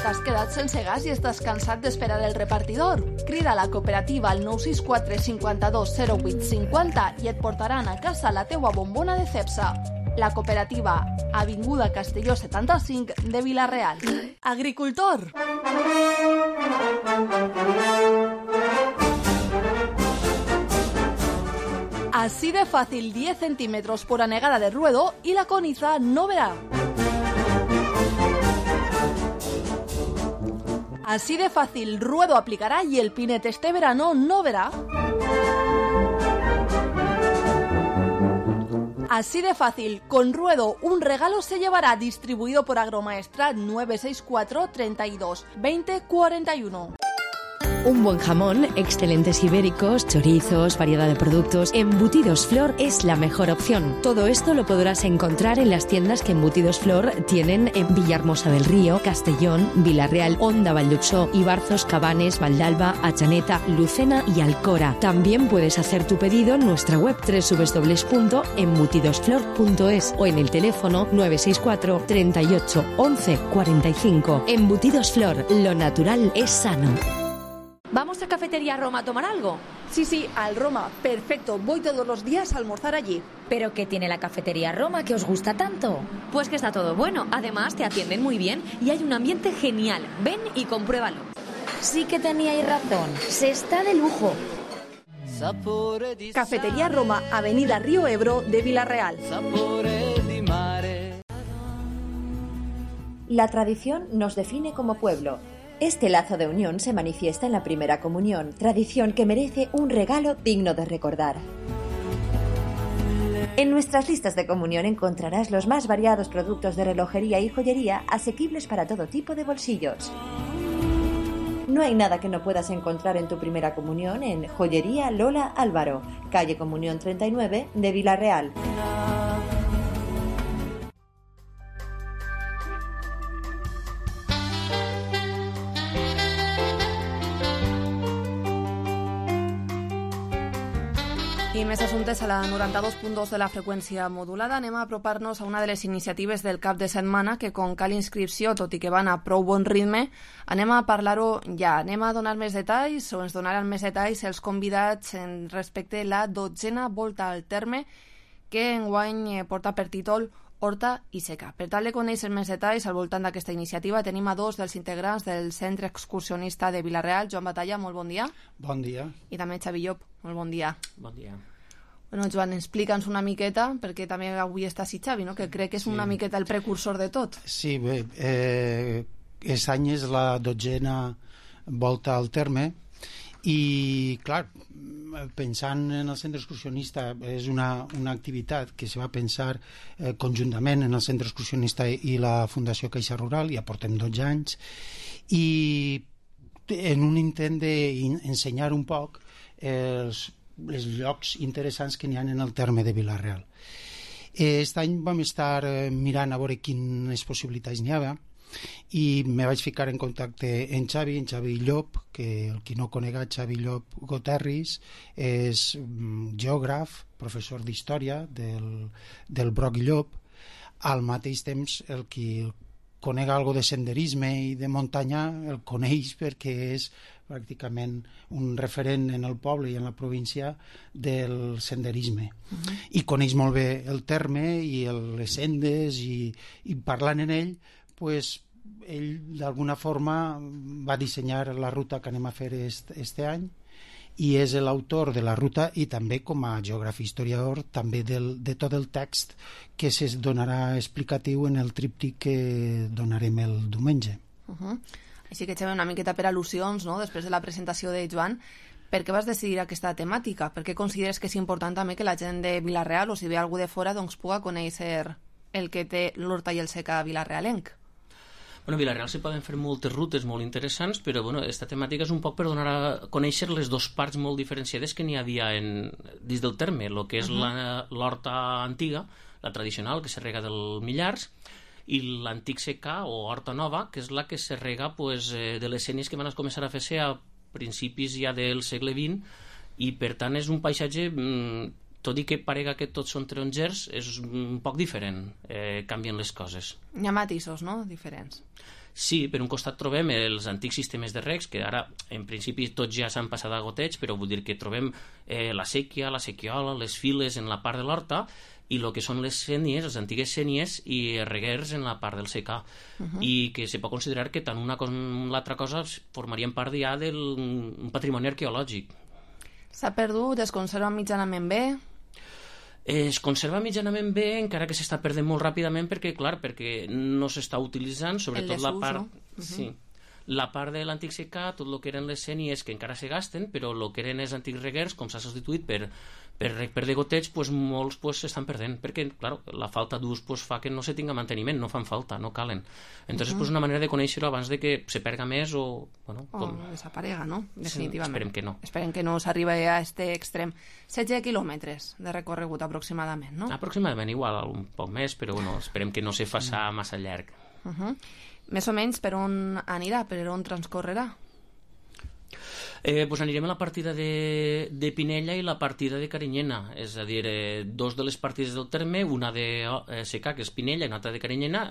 Speaker 4: T'has quedat sense gas i estàs cansat d'esperar el repartidor? Crida a la cooperativa al 964 52 08 50 i et portaran a casa la teua bombona de Cepsa. La cooperativa, Avinguda Castelló 75 de Vila-real. Agricultor! Así de fácil, 10 centímetros por anegada de ruedo y la coniza no verá. Así de fácil, ruedo aplicará y el pinete este verano no verá. Así de fácil, con ruedo un regalo se llevará, distribuido por Agromaestrat 964 32 20 41.
Speaker 1: Un buen jamón, excelentes ibéricos, chorizos, variedad de productos. Embutidos Flor es la mejor opción. Todo esto lo podrás encontrar en las tiendas que Embutidos Flor tienen en Villahermosa del Río, Castellón, Vila-real, Onda, Valldupsó, Ibarzos, Cabanes, Valdalba, Atxaneta, Lucena y Alcora. También puedes hacer tu pedido en nuestra web www.embutidosflor.es o en el teléfono 964 38 11 45. Embutidos Flor, lo natural es sano.
Speaker 5: ¿Vamos a Cafetería Roma a tomar algo?
Speaker 23: Sí, al Roma. Perfecto. Voy todos los días a almorzar allí.
Speaker 5: ¿Pero qué tiene la Cafetería Roma que os gusta tanto? Pues que está todo bueno. Además, te atienden muy bien y hay un ambiente genial. Ven y compruébalo.
Speaker 20: Sí que teníais razón. Se está de lujo.
Speaker 23: Cafetería Roma, Avenida Río Ebro de Vila-real.
Speaker 6: La tradición nos define como pueblo. Este lazo de unión se manifiesta en la primera comunión, tradición que merece un regalo digno de recordar. En nuestras listas de comunión encontrarás los más variados productos de relojería y joyería asequibles para todo tipo de bolsillos. No hay nada que no puedas encontrar en tu primera comunión en Joyería Lola Álvaro, calle Comunión 39 de Vila-real.
Speaker 4: I més assumptes a la 92.2 de la freqüència modulada. Anem a apropar-nos a una de les iniciatives del cap de setmana que, com cal inscripció, tot i que van a prou bon ritme, anem a parlar-ho ja. Anem a donar més detalls, o ens donaran més detalls els convidats respecte a la 12a volta al terme, que enguany porta per títol Horta i Seca. Per tal de conèixer més detalls al voltant d'aquesta iniciativa, tenim a dos dels integrants del Centre Excursionista de Vila-real. Joan Batalla, molt bon dia.
Speaker 24: Bon dia.
Speaker 4: I també Xavi Llop, molt bon dia.
Speaker 25: Bon dia.
Speaker 4: Bueno, Joan, explica'ns una miqueta, perquè també avui està així Xavi, no? Que crec que és una miqueta el precursor de tot.
Speaker 24: Sí, bé, aquest any és la 12a volta al terme i, clar, pensant en el centre excursionista, és una activitat que se va pensar conjuntament en el centre excursionista i la Fundació Caixa Rural, ja portem 12 anys, i en un intent d'ensenyar un poc els llocs interessants que n'hi ha en el terme de Vila-real. Aquest any vam estar mirant a veure quines possibilitats n'hi havia i me vaig ficar en contacte amb Xavi Llop, que el qui no conega, Xavi Llop Goterris és geògraf, professor d'història del Broc i Llop. Al mateix temps, el qui conega algo de senderisme i de muntanya el coneix perquè és pràcticament un referent en el poble i en la província del senderisme. I coneix molt bé el terme i les sendes i parlant en ell, pues, ell d'alguna forma va dissenyar la ruta que anem a fer este any i és l'autor de la ruta i també com a geògraf historiador també de tot el text que se donarà explicatiu en el tríptic que donarem el diumenge.
Speaker 4: Així que, Xavi, una miqueta per al·lusions, no? Després de la presentació de Joan, per què vas decidir aquesta temàtica? Per què consideres que és important també que la gent de Vila-real, o si ve algú de fora, doncs puga conèixer el que té l'Horta i el Seca vilarealenc?
Speaker 25: Bueno, a Vila-real se poden fer moltes rutes molt interessants, però bueno, aquesta temàtica és un poc per donar a conèixer les dues parts molt diferenciades que n'hi havia dins del terme, el que és l'horta antiga, la tradicional, que se rega del Millars, i l'antic secà o horta nova, que és la que se rega de les sénies que van començar a fer-se a principis ja del segle XX, i per tant és un paisatge, tot i que parega que tots són tarongers, és un poc diferent, canvien les coses.
Speaker 4: Hi ha matisos, no?, diferents.
Speaker 25: Sí, per un costat trobem els antics sistemes de regs, que ara en principi tots ja s'han passat a goteig, però vull dir que trobem la séquia, la sequiola, les files en la part de l'horta, i el que són les sénies, les antigues sénies i reguers en la part del secà, i que se pot considerar que tant una com l'altra cosa formarien part ja d'un patrimoni arqueològic.
Speaker 4: S'ha perdut, es conserva mitjanament bé?
Speaker 25: Es conserva mitjanament bé, encara que s'està perdent molt ràpidament perquè, clar, perquè no s'està utilitzant, sobretot la part... Sí. La part de l'antic secà, tot el que eren les sénies que encara se gasten, però el que eren els antics reguers, com s'ha substituït per de goteig, pues, molts s'estan perdent, perquè clar, la falta d'ús fa que no se tinga manteniment, no fan falta, no calen. Entonces, pues, una manera de conèixer-ho abans de que se perga més o
Speaker 4: desaparega, no? Definitivament.
Speaker 25: Esperem que no.
Speaker 4: Esperem que no s'arribi a aquest extrem. 16 quilòmetres de recorregut aproximadament, no?
Speaker 25: Aproximadament, igual, un poc més, però esperem que no se faci massa llarg.
Speaker 4: Més o menys per on anirà, per on transcorrerà?
Speaker 25: Pues anirem a la partida de Pinella i la partida de Carinyena, és a dir, dos de les partides del terme, una de secà, que és Pinella, i una altra de Carinyena.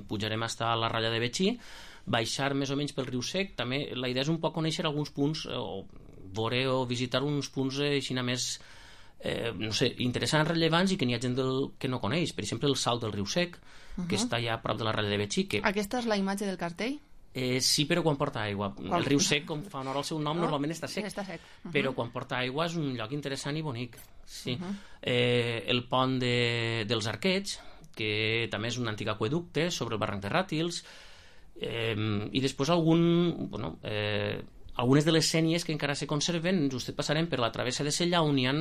Speaker 25: Pujarem fins a la ratlla de Betxí, baixar més o menys pel riu Sec. També la idea és un poc conèixer alguns punts, o veure o visitar uns punts així més no sé, interessants, rellevants, i que n'hi ha gent que no coneix. Per exemple, el Salt del riu Sec, que està ja a prop de la ratlla de Betxí.
Speaker 4: Aquesta és la imatge del cartell?
Speaker 25: Sí, però quan porta aigua. El riu Sec, com fa honor al seu nom, normalment està sec. Però quan porta aigua és un lloc interessant i bonic. Sí. El pont dels Arquets, que també és un antic aqüeducte sobre el barranc de Ràtils, i després algunes de les sénies que encara se conserven. Just passarem per la travessa de Sella, on hi ha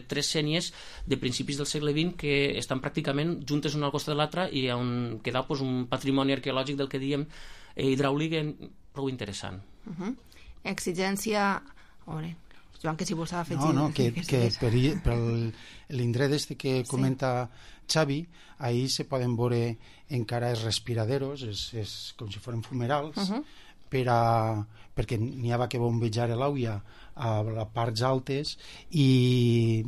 Speaker 25: 3 sénies de principis del segle XX que estan pràcticament juntes una al costat de l'altra, i on queda un patrimoni arqueològic del que diem hidràulic prou interessant.
Speaker 4: Exigència... Joan, que si vols afegir...
Speaker 24: No, que per l'indret que comenta Xavi, ahí se poden veure encara els respiraderos, és com si foren fumerals, perquè n'hi havia que bombejar l'àvia a les parts altes, i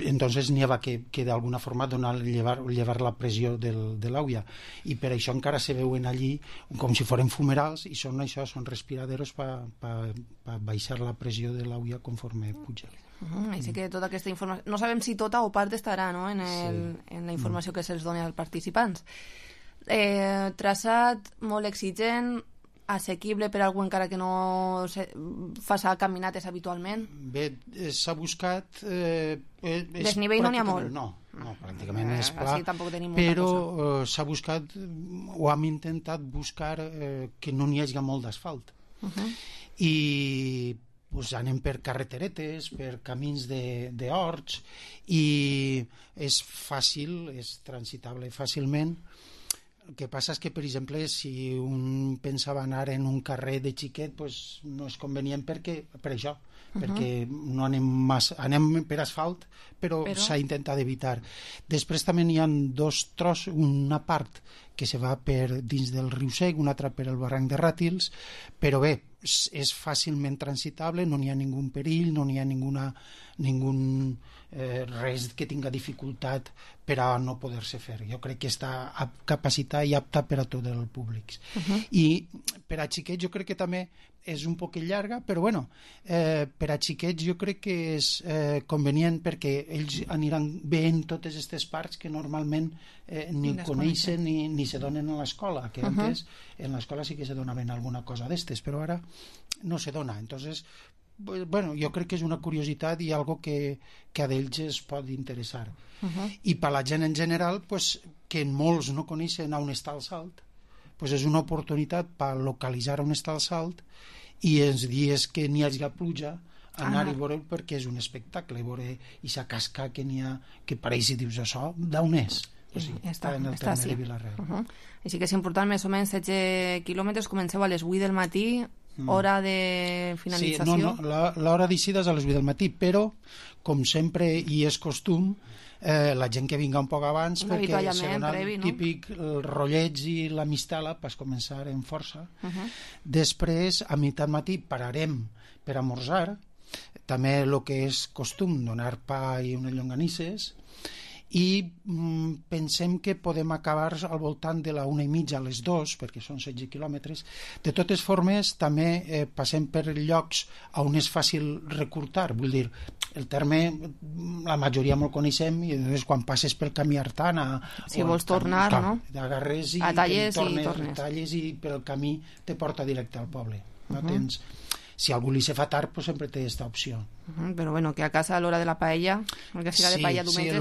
Speaker 24: entonces n'hi havia que d'alguna forma llevar la pressió de l'àvia, i per això encara se veuen allí com si foren fumerals, i són respiraderos per baixar la pressió de l'àvia conforme puja.
Speaker 4: Així que tota aquesta informació, no sabem si tota o part estarà en la informació que se'ls doni als participants. Traçat molt exigent, assequible per algú encara que no faci caminates habitualment?
Speaker 24: Bé, s'ha buscat...
Speaker 4: Desnivell no n'hi ha molt?
Speaker 24: No, pràcticament és pla, però s'ha buscat, o hem intentat buscar que no n'hi hagi molt d'asfalt. I anem per carreteretes, per camins d'horts, i és fàcil, és transitable fàcilment. El que passa és que, per exemple, si un pensava anar en un carrer de xiquet, no és convenient per això, perquè no anem per asfalt, però s'ha intentat evitar. Després també hi ha 2 trossos, una part que se va per dins del riu Sec, una altra per el barranc de Ràtils, però bé, és fàcilment transitable, no n'hi ha ningú perill, no n'hi ha res que tinga dificultat per a no poder-se fer. Jo crec que està capacitat i apta per a tot el públic. I per a xiquets jo crec que també és un poc llarga, però bueno, per a xiquets jo crec que és convenient, perquè ells aniran veient totes aquestes parts que normalment ni coneixen ni se donen a l'escola, que antes en l'escola sí que se donaven alguna cosa d'estes, però ara no se dona. Entonces, bueno, jo crec que és una curiositat i algo que a d'ells es pot interessar. I per la gent en general, que molts no coneixen on està el salt, és una oportunitat per localitzar on està el salt, i els dies que n'hi hagi pluja anar i veure'l, perquè és un espectacle veure aquesta casca que n'hi ha, que pareix, i dius, això d'on és? Està en el terme de Vila-real.
Speaker 4: Així que és important, més o menys 16 quilòmetres, comenceu a les 8 del matí, hora de finalització.
Speaker 24: Sí, l'hora d'eixida és a les 8 del matí, però, com sempre i és costum, la gent que vinga un poc abans, perquè serà típic el rotlleig i la mistela per començar en força. Després, a meitat matí, pararem per esmorzar, també el que és costum, donar pa i unes llonganisses, i pensem que podem acabar al voltant de la 1:30 a les 2, perquè són 16 quilòmetres. De totes formes, també passem per llocs on és fàcil recurtar, vull dir, el terme la majoria me'l coneixem, i després quan passes pel camí Artana,
Speaker 4: si vols tornar, no?
Speaker 24: Agarres i
Speaker 4: talles
Speaker 24: tornes, i per el camí te porta directe al poble. No tens... si algú li se fa tard, pues sempre té aquesta opció.
Speaker 4: Però bueno, que a casa a l'hora de la paella, el que siga de paella diumenge,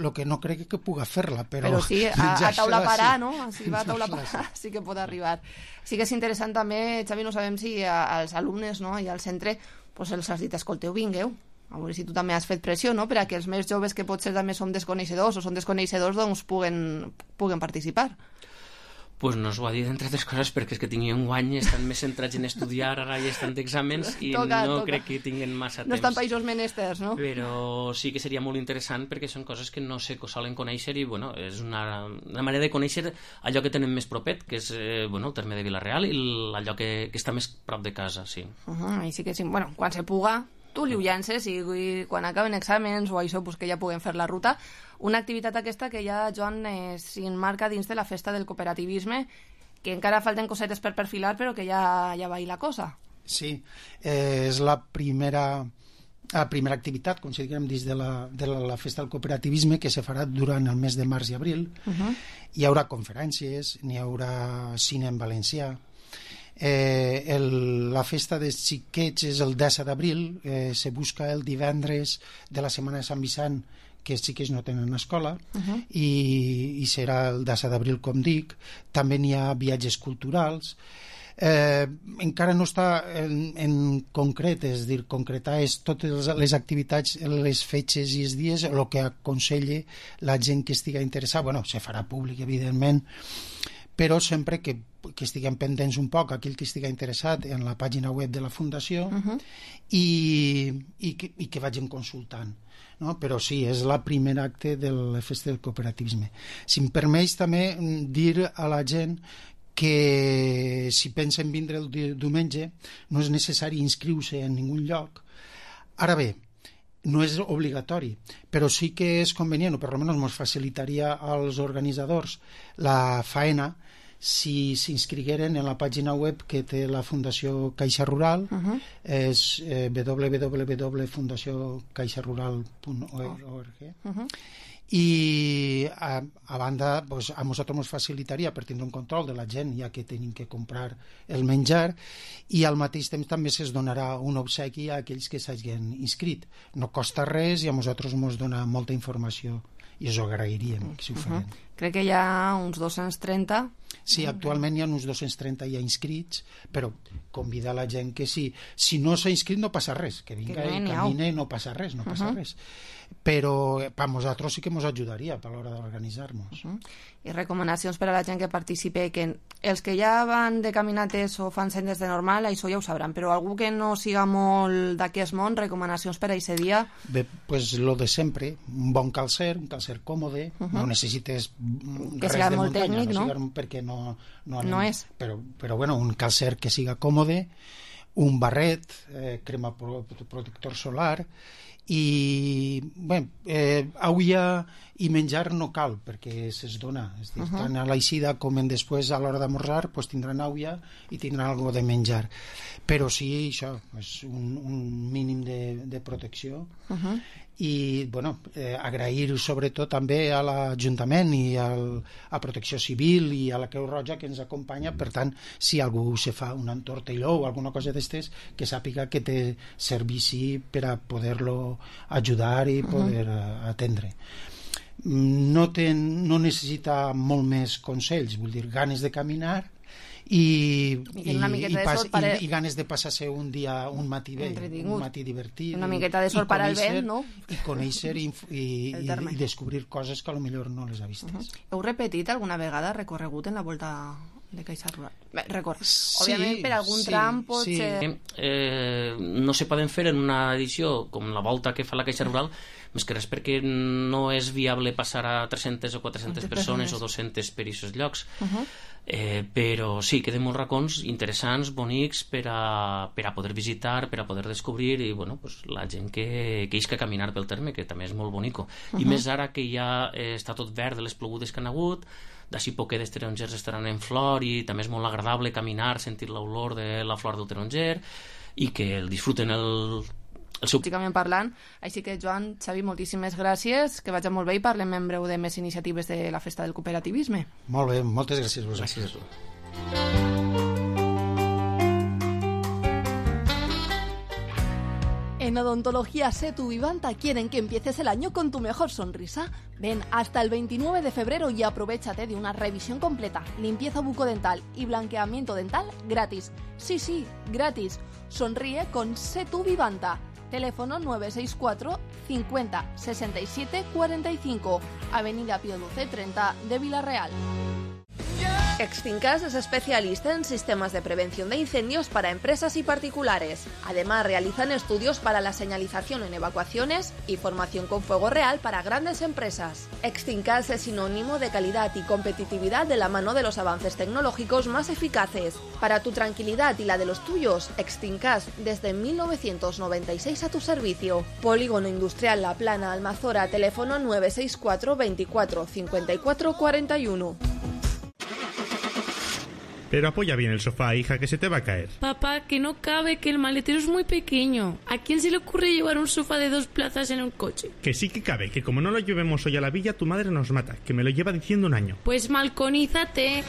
Speaker 24: lo que no crec que puga fer-la, però
Speaker 4: sí, a taula parar, no? Si va a taula parar, sí que pot arribar. Sí que és interessant també, Xavi, no sabem si als alumnes, no?, i al centre, pues els has dit, escolteu, vingueu, a veure si tu també has fet pressió, no?, per a que els més joves que potser també som desconeixedors o són desconeixedors, doncs puguen participar.
Speaker 25: Pues no us ho ha dit, entre altres coses, perquè és que tinguin un any, estan més centrats en estudiar, ara ja estan d'exàmens i crec que tinguin massa temps.
Speaker 4: No estan països menesters, no?
Speaker 25: Però sí que seria molt interessant perquè són coses que no se solen conèixer i, bueno, és una manera de conèixer allò que tenen més propet, que és, el terme de Vila-real i allò que està més prop de casa, sí.
Speaker 4: I sí que, bueno, quan se puga, tu li ho llances i quan acaben exàmens o això, pues que ja puguem fer la ruta. Una activitat aquesta que ja, Joan, s'emmarca dins de la festa del cooperativisme, que encara falten cosetes per perfilar, però que ja va ir la cosa.
Speaker 24: Sí, és la primera activitat, com si diguem, dins de la festa del cooperativisme, que se farà durant el mes de març i abril. Hi haurà conferències, n'hi haurà cine en valencià. La festa dels xiquets és el 10 d'abril, se busca el divendres de la setmana de Sant Vicent, que els xiquets no tenen escola, i serà el 10 d'abril, com dic. També n'hi ha viatges culturals. Encara no està en concret, és a dir, concretar totes les activitats, les fetges i els dies, el que aconsella la gent que estigui interessada. Bueno, se farà públic, evidentment, però sempre que estiguem pendents un poc, aquell que estigui interessat, en la pàgina web de la Fundació, i que vagin consultant. No? Però sí, és la primera acte de la festa del cooperativisme. Si em permeix també dir a la gent que si pensen vindre el diumenge no és necessari inscriure-se en ningun lloc. Ara bé, no és obligatori, però sí que és convenient, o per almenys ens facilitaria als organitzadors la faena si s'inscrigueren en la pàgina web que té la Fundació Caixa Rural, és www.fundaciocaixarural.org, i a banda, pues, a nosaltres ens facilitaria per tindre un control de la gent, ja que tenim que comprar el menjar, i al mateix temps també es donarà un obsequi a aquells que s'hagin inscrit. No costa res i a nosaltres ens dona molta informació i us ho agrairíem si ho farem.
Speaker 4: Crec que hi ha uns 230.
Speaker 24: Sí, actualment hi ha uns 230 ja inscrits, però convidar la gent que si no s'ha inscrit no passa res, que vinga i camine, no passa res, però per nosaltres sí que ens ajudaria a l'hora d'organitzar-nos.
Speaker 4: I recomanacions per a la gent que participi, que els que ja van de caminates o fan sendes de normal, això ja ho sabran, però algú que no siga molt d'aquest món, recomanacions per a aquest dia?
Speaker 24: Bé, pues lo de sempre, un bon calcer, un calcer còmode, no necessites
Speaker 4: que siga molt tècnic, no?
Speaker 24: Perquè no
Speaker 4: és.
Speaker 24: Però bueno, un calcer que siga còmode, un barret, crema protector solar, i bé, aigua i menjar no cal perquè se's dona, és dir, tant a l'aixida com en després a l'hora d'amorrar pues tindran aigua i tindran algo de menjar, però sí això, és un mínim de protecció. I bueno, agrair sobretot també a l'Ajuntament i a Protecció Civil i a la Creu Roja que ens acompanya. Per tant, si algú se fa un entortelló o alguna cosa d'estes, que sàpiga que té servici per a poder-lo ajudar i poder atendre. No necessita molt més consells, vull dir, ganes de caminar i ganes de passar-se un matí bé, un matí divertit,
Speaker 4: una miqueta de sol per al vent, no?
Speaker 24: I conèixer i descobrir coses que potser no les ha vistes.
Speaker 4: Heu repetit alguna vegada recorregut en la Volta de Caixa Rural? Òbviament per algun tram pot ser...
Speaker 25: No se poden fer en una edició com la Volta que fa la Caixa Rural, més que res perquè no és viable passar a 300 o 400 persones o 200 per aquests llocs. Però sí, queden molts racons interessants, bonics per a poder visitar, per a poder descobrir, i bueno, pues, la gent que isca a caminar pel terme, que també és molt bonico. I més ara que ja està tot verd de les plogudes que han hagut, d'ací poquedes tarongers estaran en flor i també és molt agradable caminar, sentir l'olor de la flor del taronger i que el disfruten el seu...
Speaker 4: Pràcticament parlant, així que Joan, Xavi, moltíssimes gràcies, que vagi molt bé i parlem en breu de més iniciatives de la Festa del Cooperativisme.
Speaker 24: Molt bé, moltes gràcies a vosaltres.
Speaker 25: Gràcies a tu.
Speaker 4: En Odontología Setu Vivanta quieren que empieces el año con tu mejor sonrisa. Ven hasta el 29 de febrero y aprovéchate de una revisión completa, limpieza bucodental y blanqueamiento dental gratis. Sí, gratis. Sonríe con Setu Vivanta. Teléfono 964 50 67 45, Avenida Pío XII 30 de Vila-real. Extincas es especialista en sistemas de prevención de incendios para empresas y particulares. Además, realizan estudios para la señalización en evacuaciones y formación con fuego real para grandes empresas. Extincas es sinónimo de calidad y competitividad de la mano de los avances tecnológicos más eficaces. Para tu tranquilidad y la de los tuyos, Extincas desde 1996 a tu servicio. Polígono Industrial La Plana, Almazora, teléfono 964 24 54 41.
Speaker 9: Pero apoya bien el sofá, hija, que se te va a caer.
Speaker 7: Papá, que no cabe, que el maletero es muy pequeño. ¿A quién se le ocurre llevar un sofá de 2 plazas en un coche?
Speaker 9: Que sí que cabe, que como no lo llevemos hoy a la villa, tu madre nos mata, que me lo lleva diciendo un año.
Speaker 7: Pues malconízate.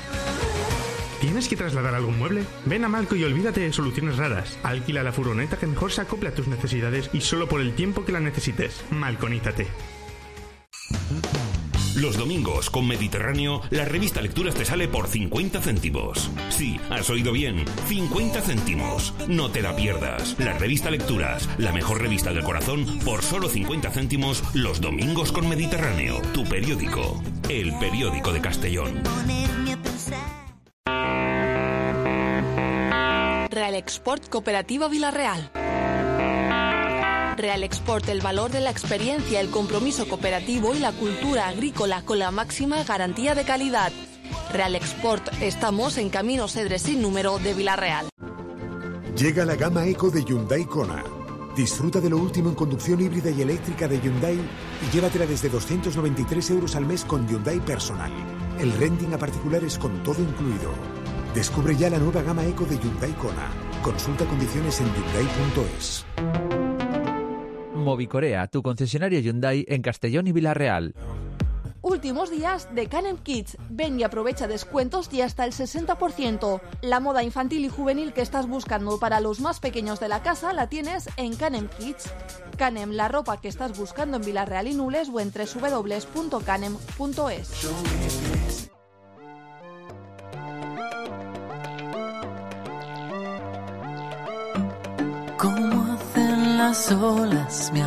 Speaker 9: ¿Tienes que trasladar algún mueble? Ven a Malco y olvídate de soluciones raras. Alquila la furgoneta que mejor se acople a tus necesidades y solo por el tiempo que la necesites. Malconízate.
Speaker 18: Los domingos con Mediterráneo, la revista Lecturas te sale por 50 céntimos. Sí, has oído bien, 50 céntimos. No te la pierdas. La revista Lecturas, la mejor revista del corazón, por solo 50 céntimos los domingos con Mediterráneo. Tu periódico, el periódico de Castellón.
Speaker 4: Real Export Cooperativa Vila-real. Real Export, el valor de la experiencia, el compromiso cooperativo y la cultura agrícola con la máxima garantía de calidad. Real Export, estamos en Camino Cedres sin número de Vila-real.
Speaker 8: Llega la gama Eco de Hyundai Kona. Disfruta de lo último en conducción híbrida y eléctrica de Hyundai y llévatela desde 293 euros al mes con Hyundai Personal. El renting a particulares con todo incluido. Descubre ya la nueva gama Eco de Hyundai Kona. Consulta condiciones en hyundai.es.
Speaker 10: Movicorea, tu concesionario Hyundai en Castellón y Vila-real.
Speaker 4: Últimos días de Canem Kids. Ven y aprovecha descuentos y hasta el 60%. La moda infantil y juvenil que estás buscando para los más pequeños de la casa la tienes en Canem Kids. Canem, la ropa que estás buscando en Vila-real y Nules o en www.canem.es.
Speaker 3: Como hacen las olas, me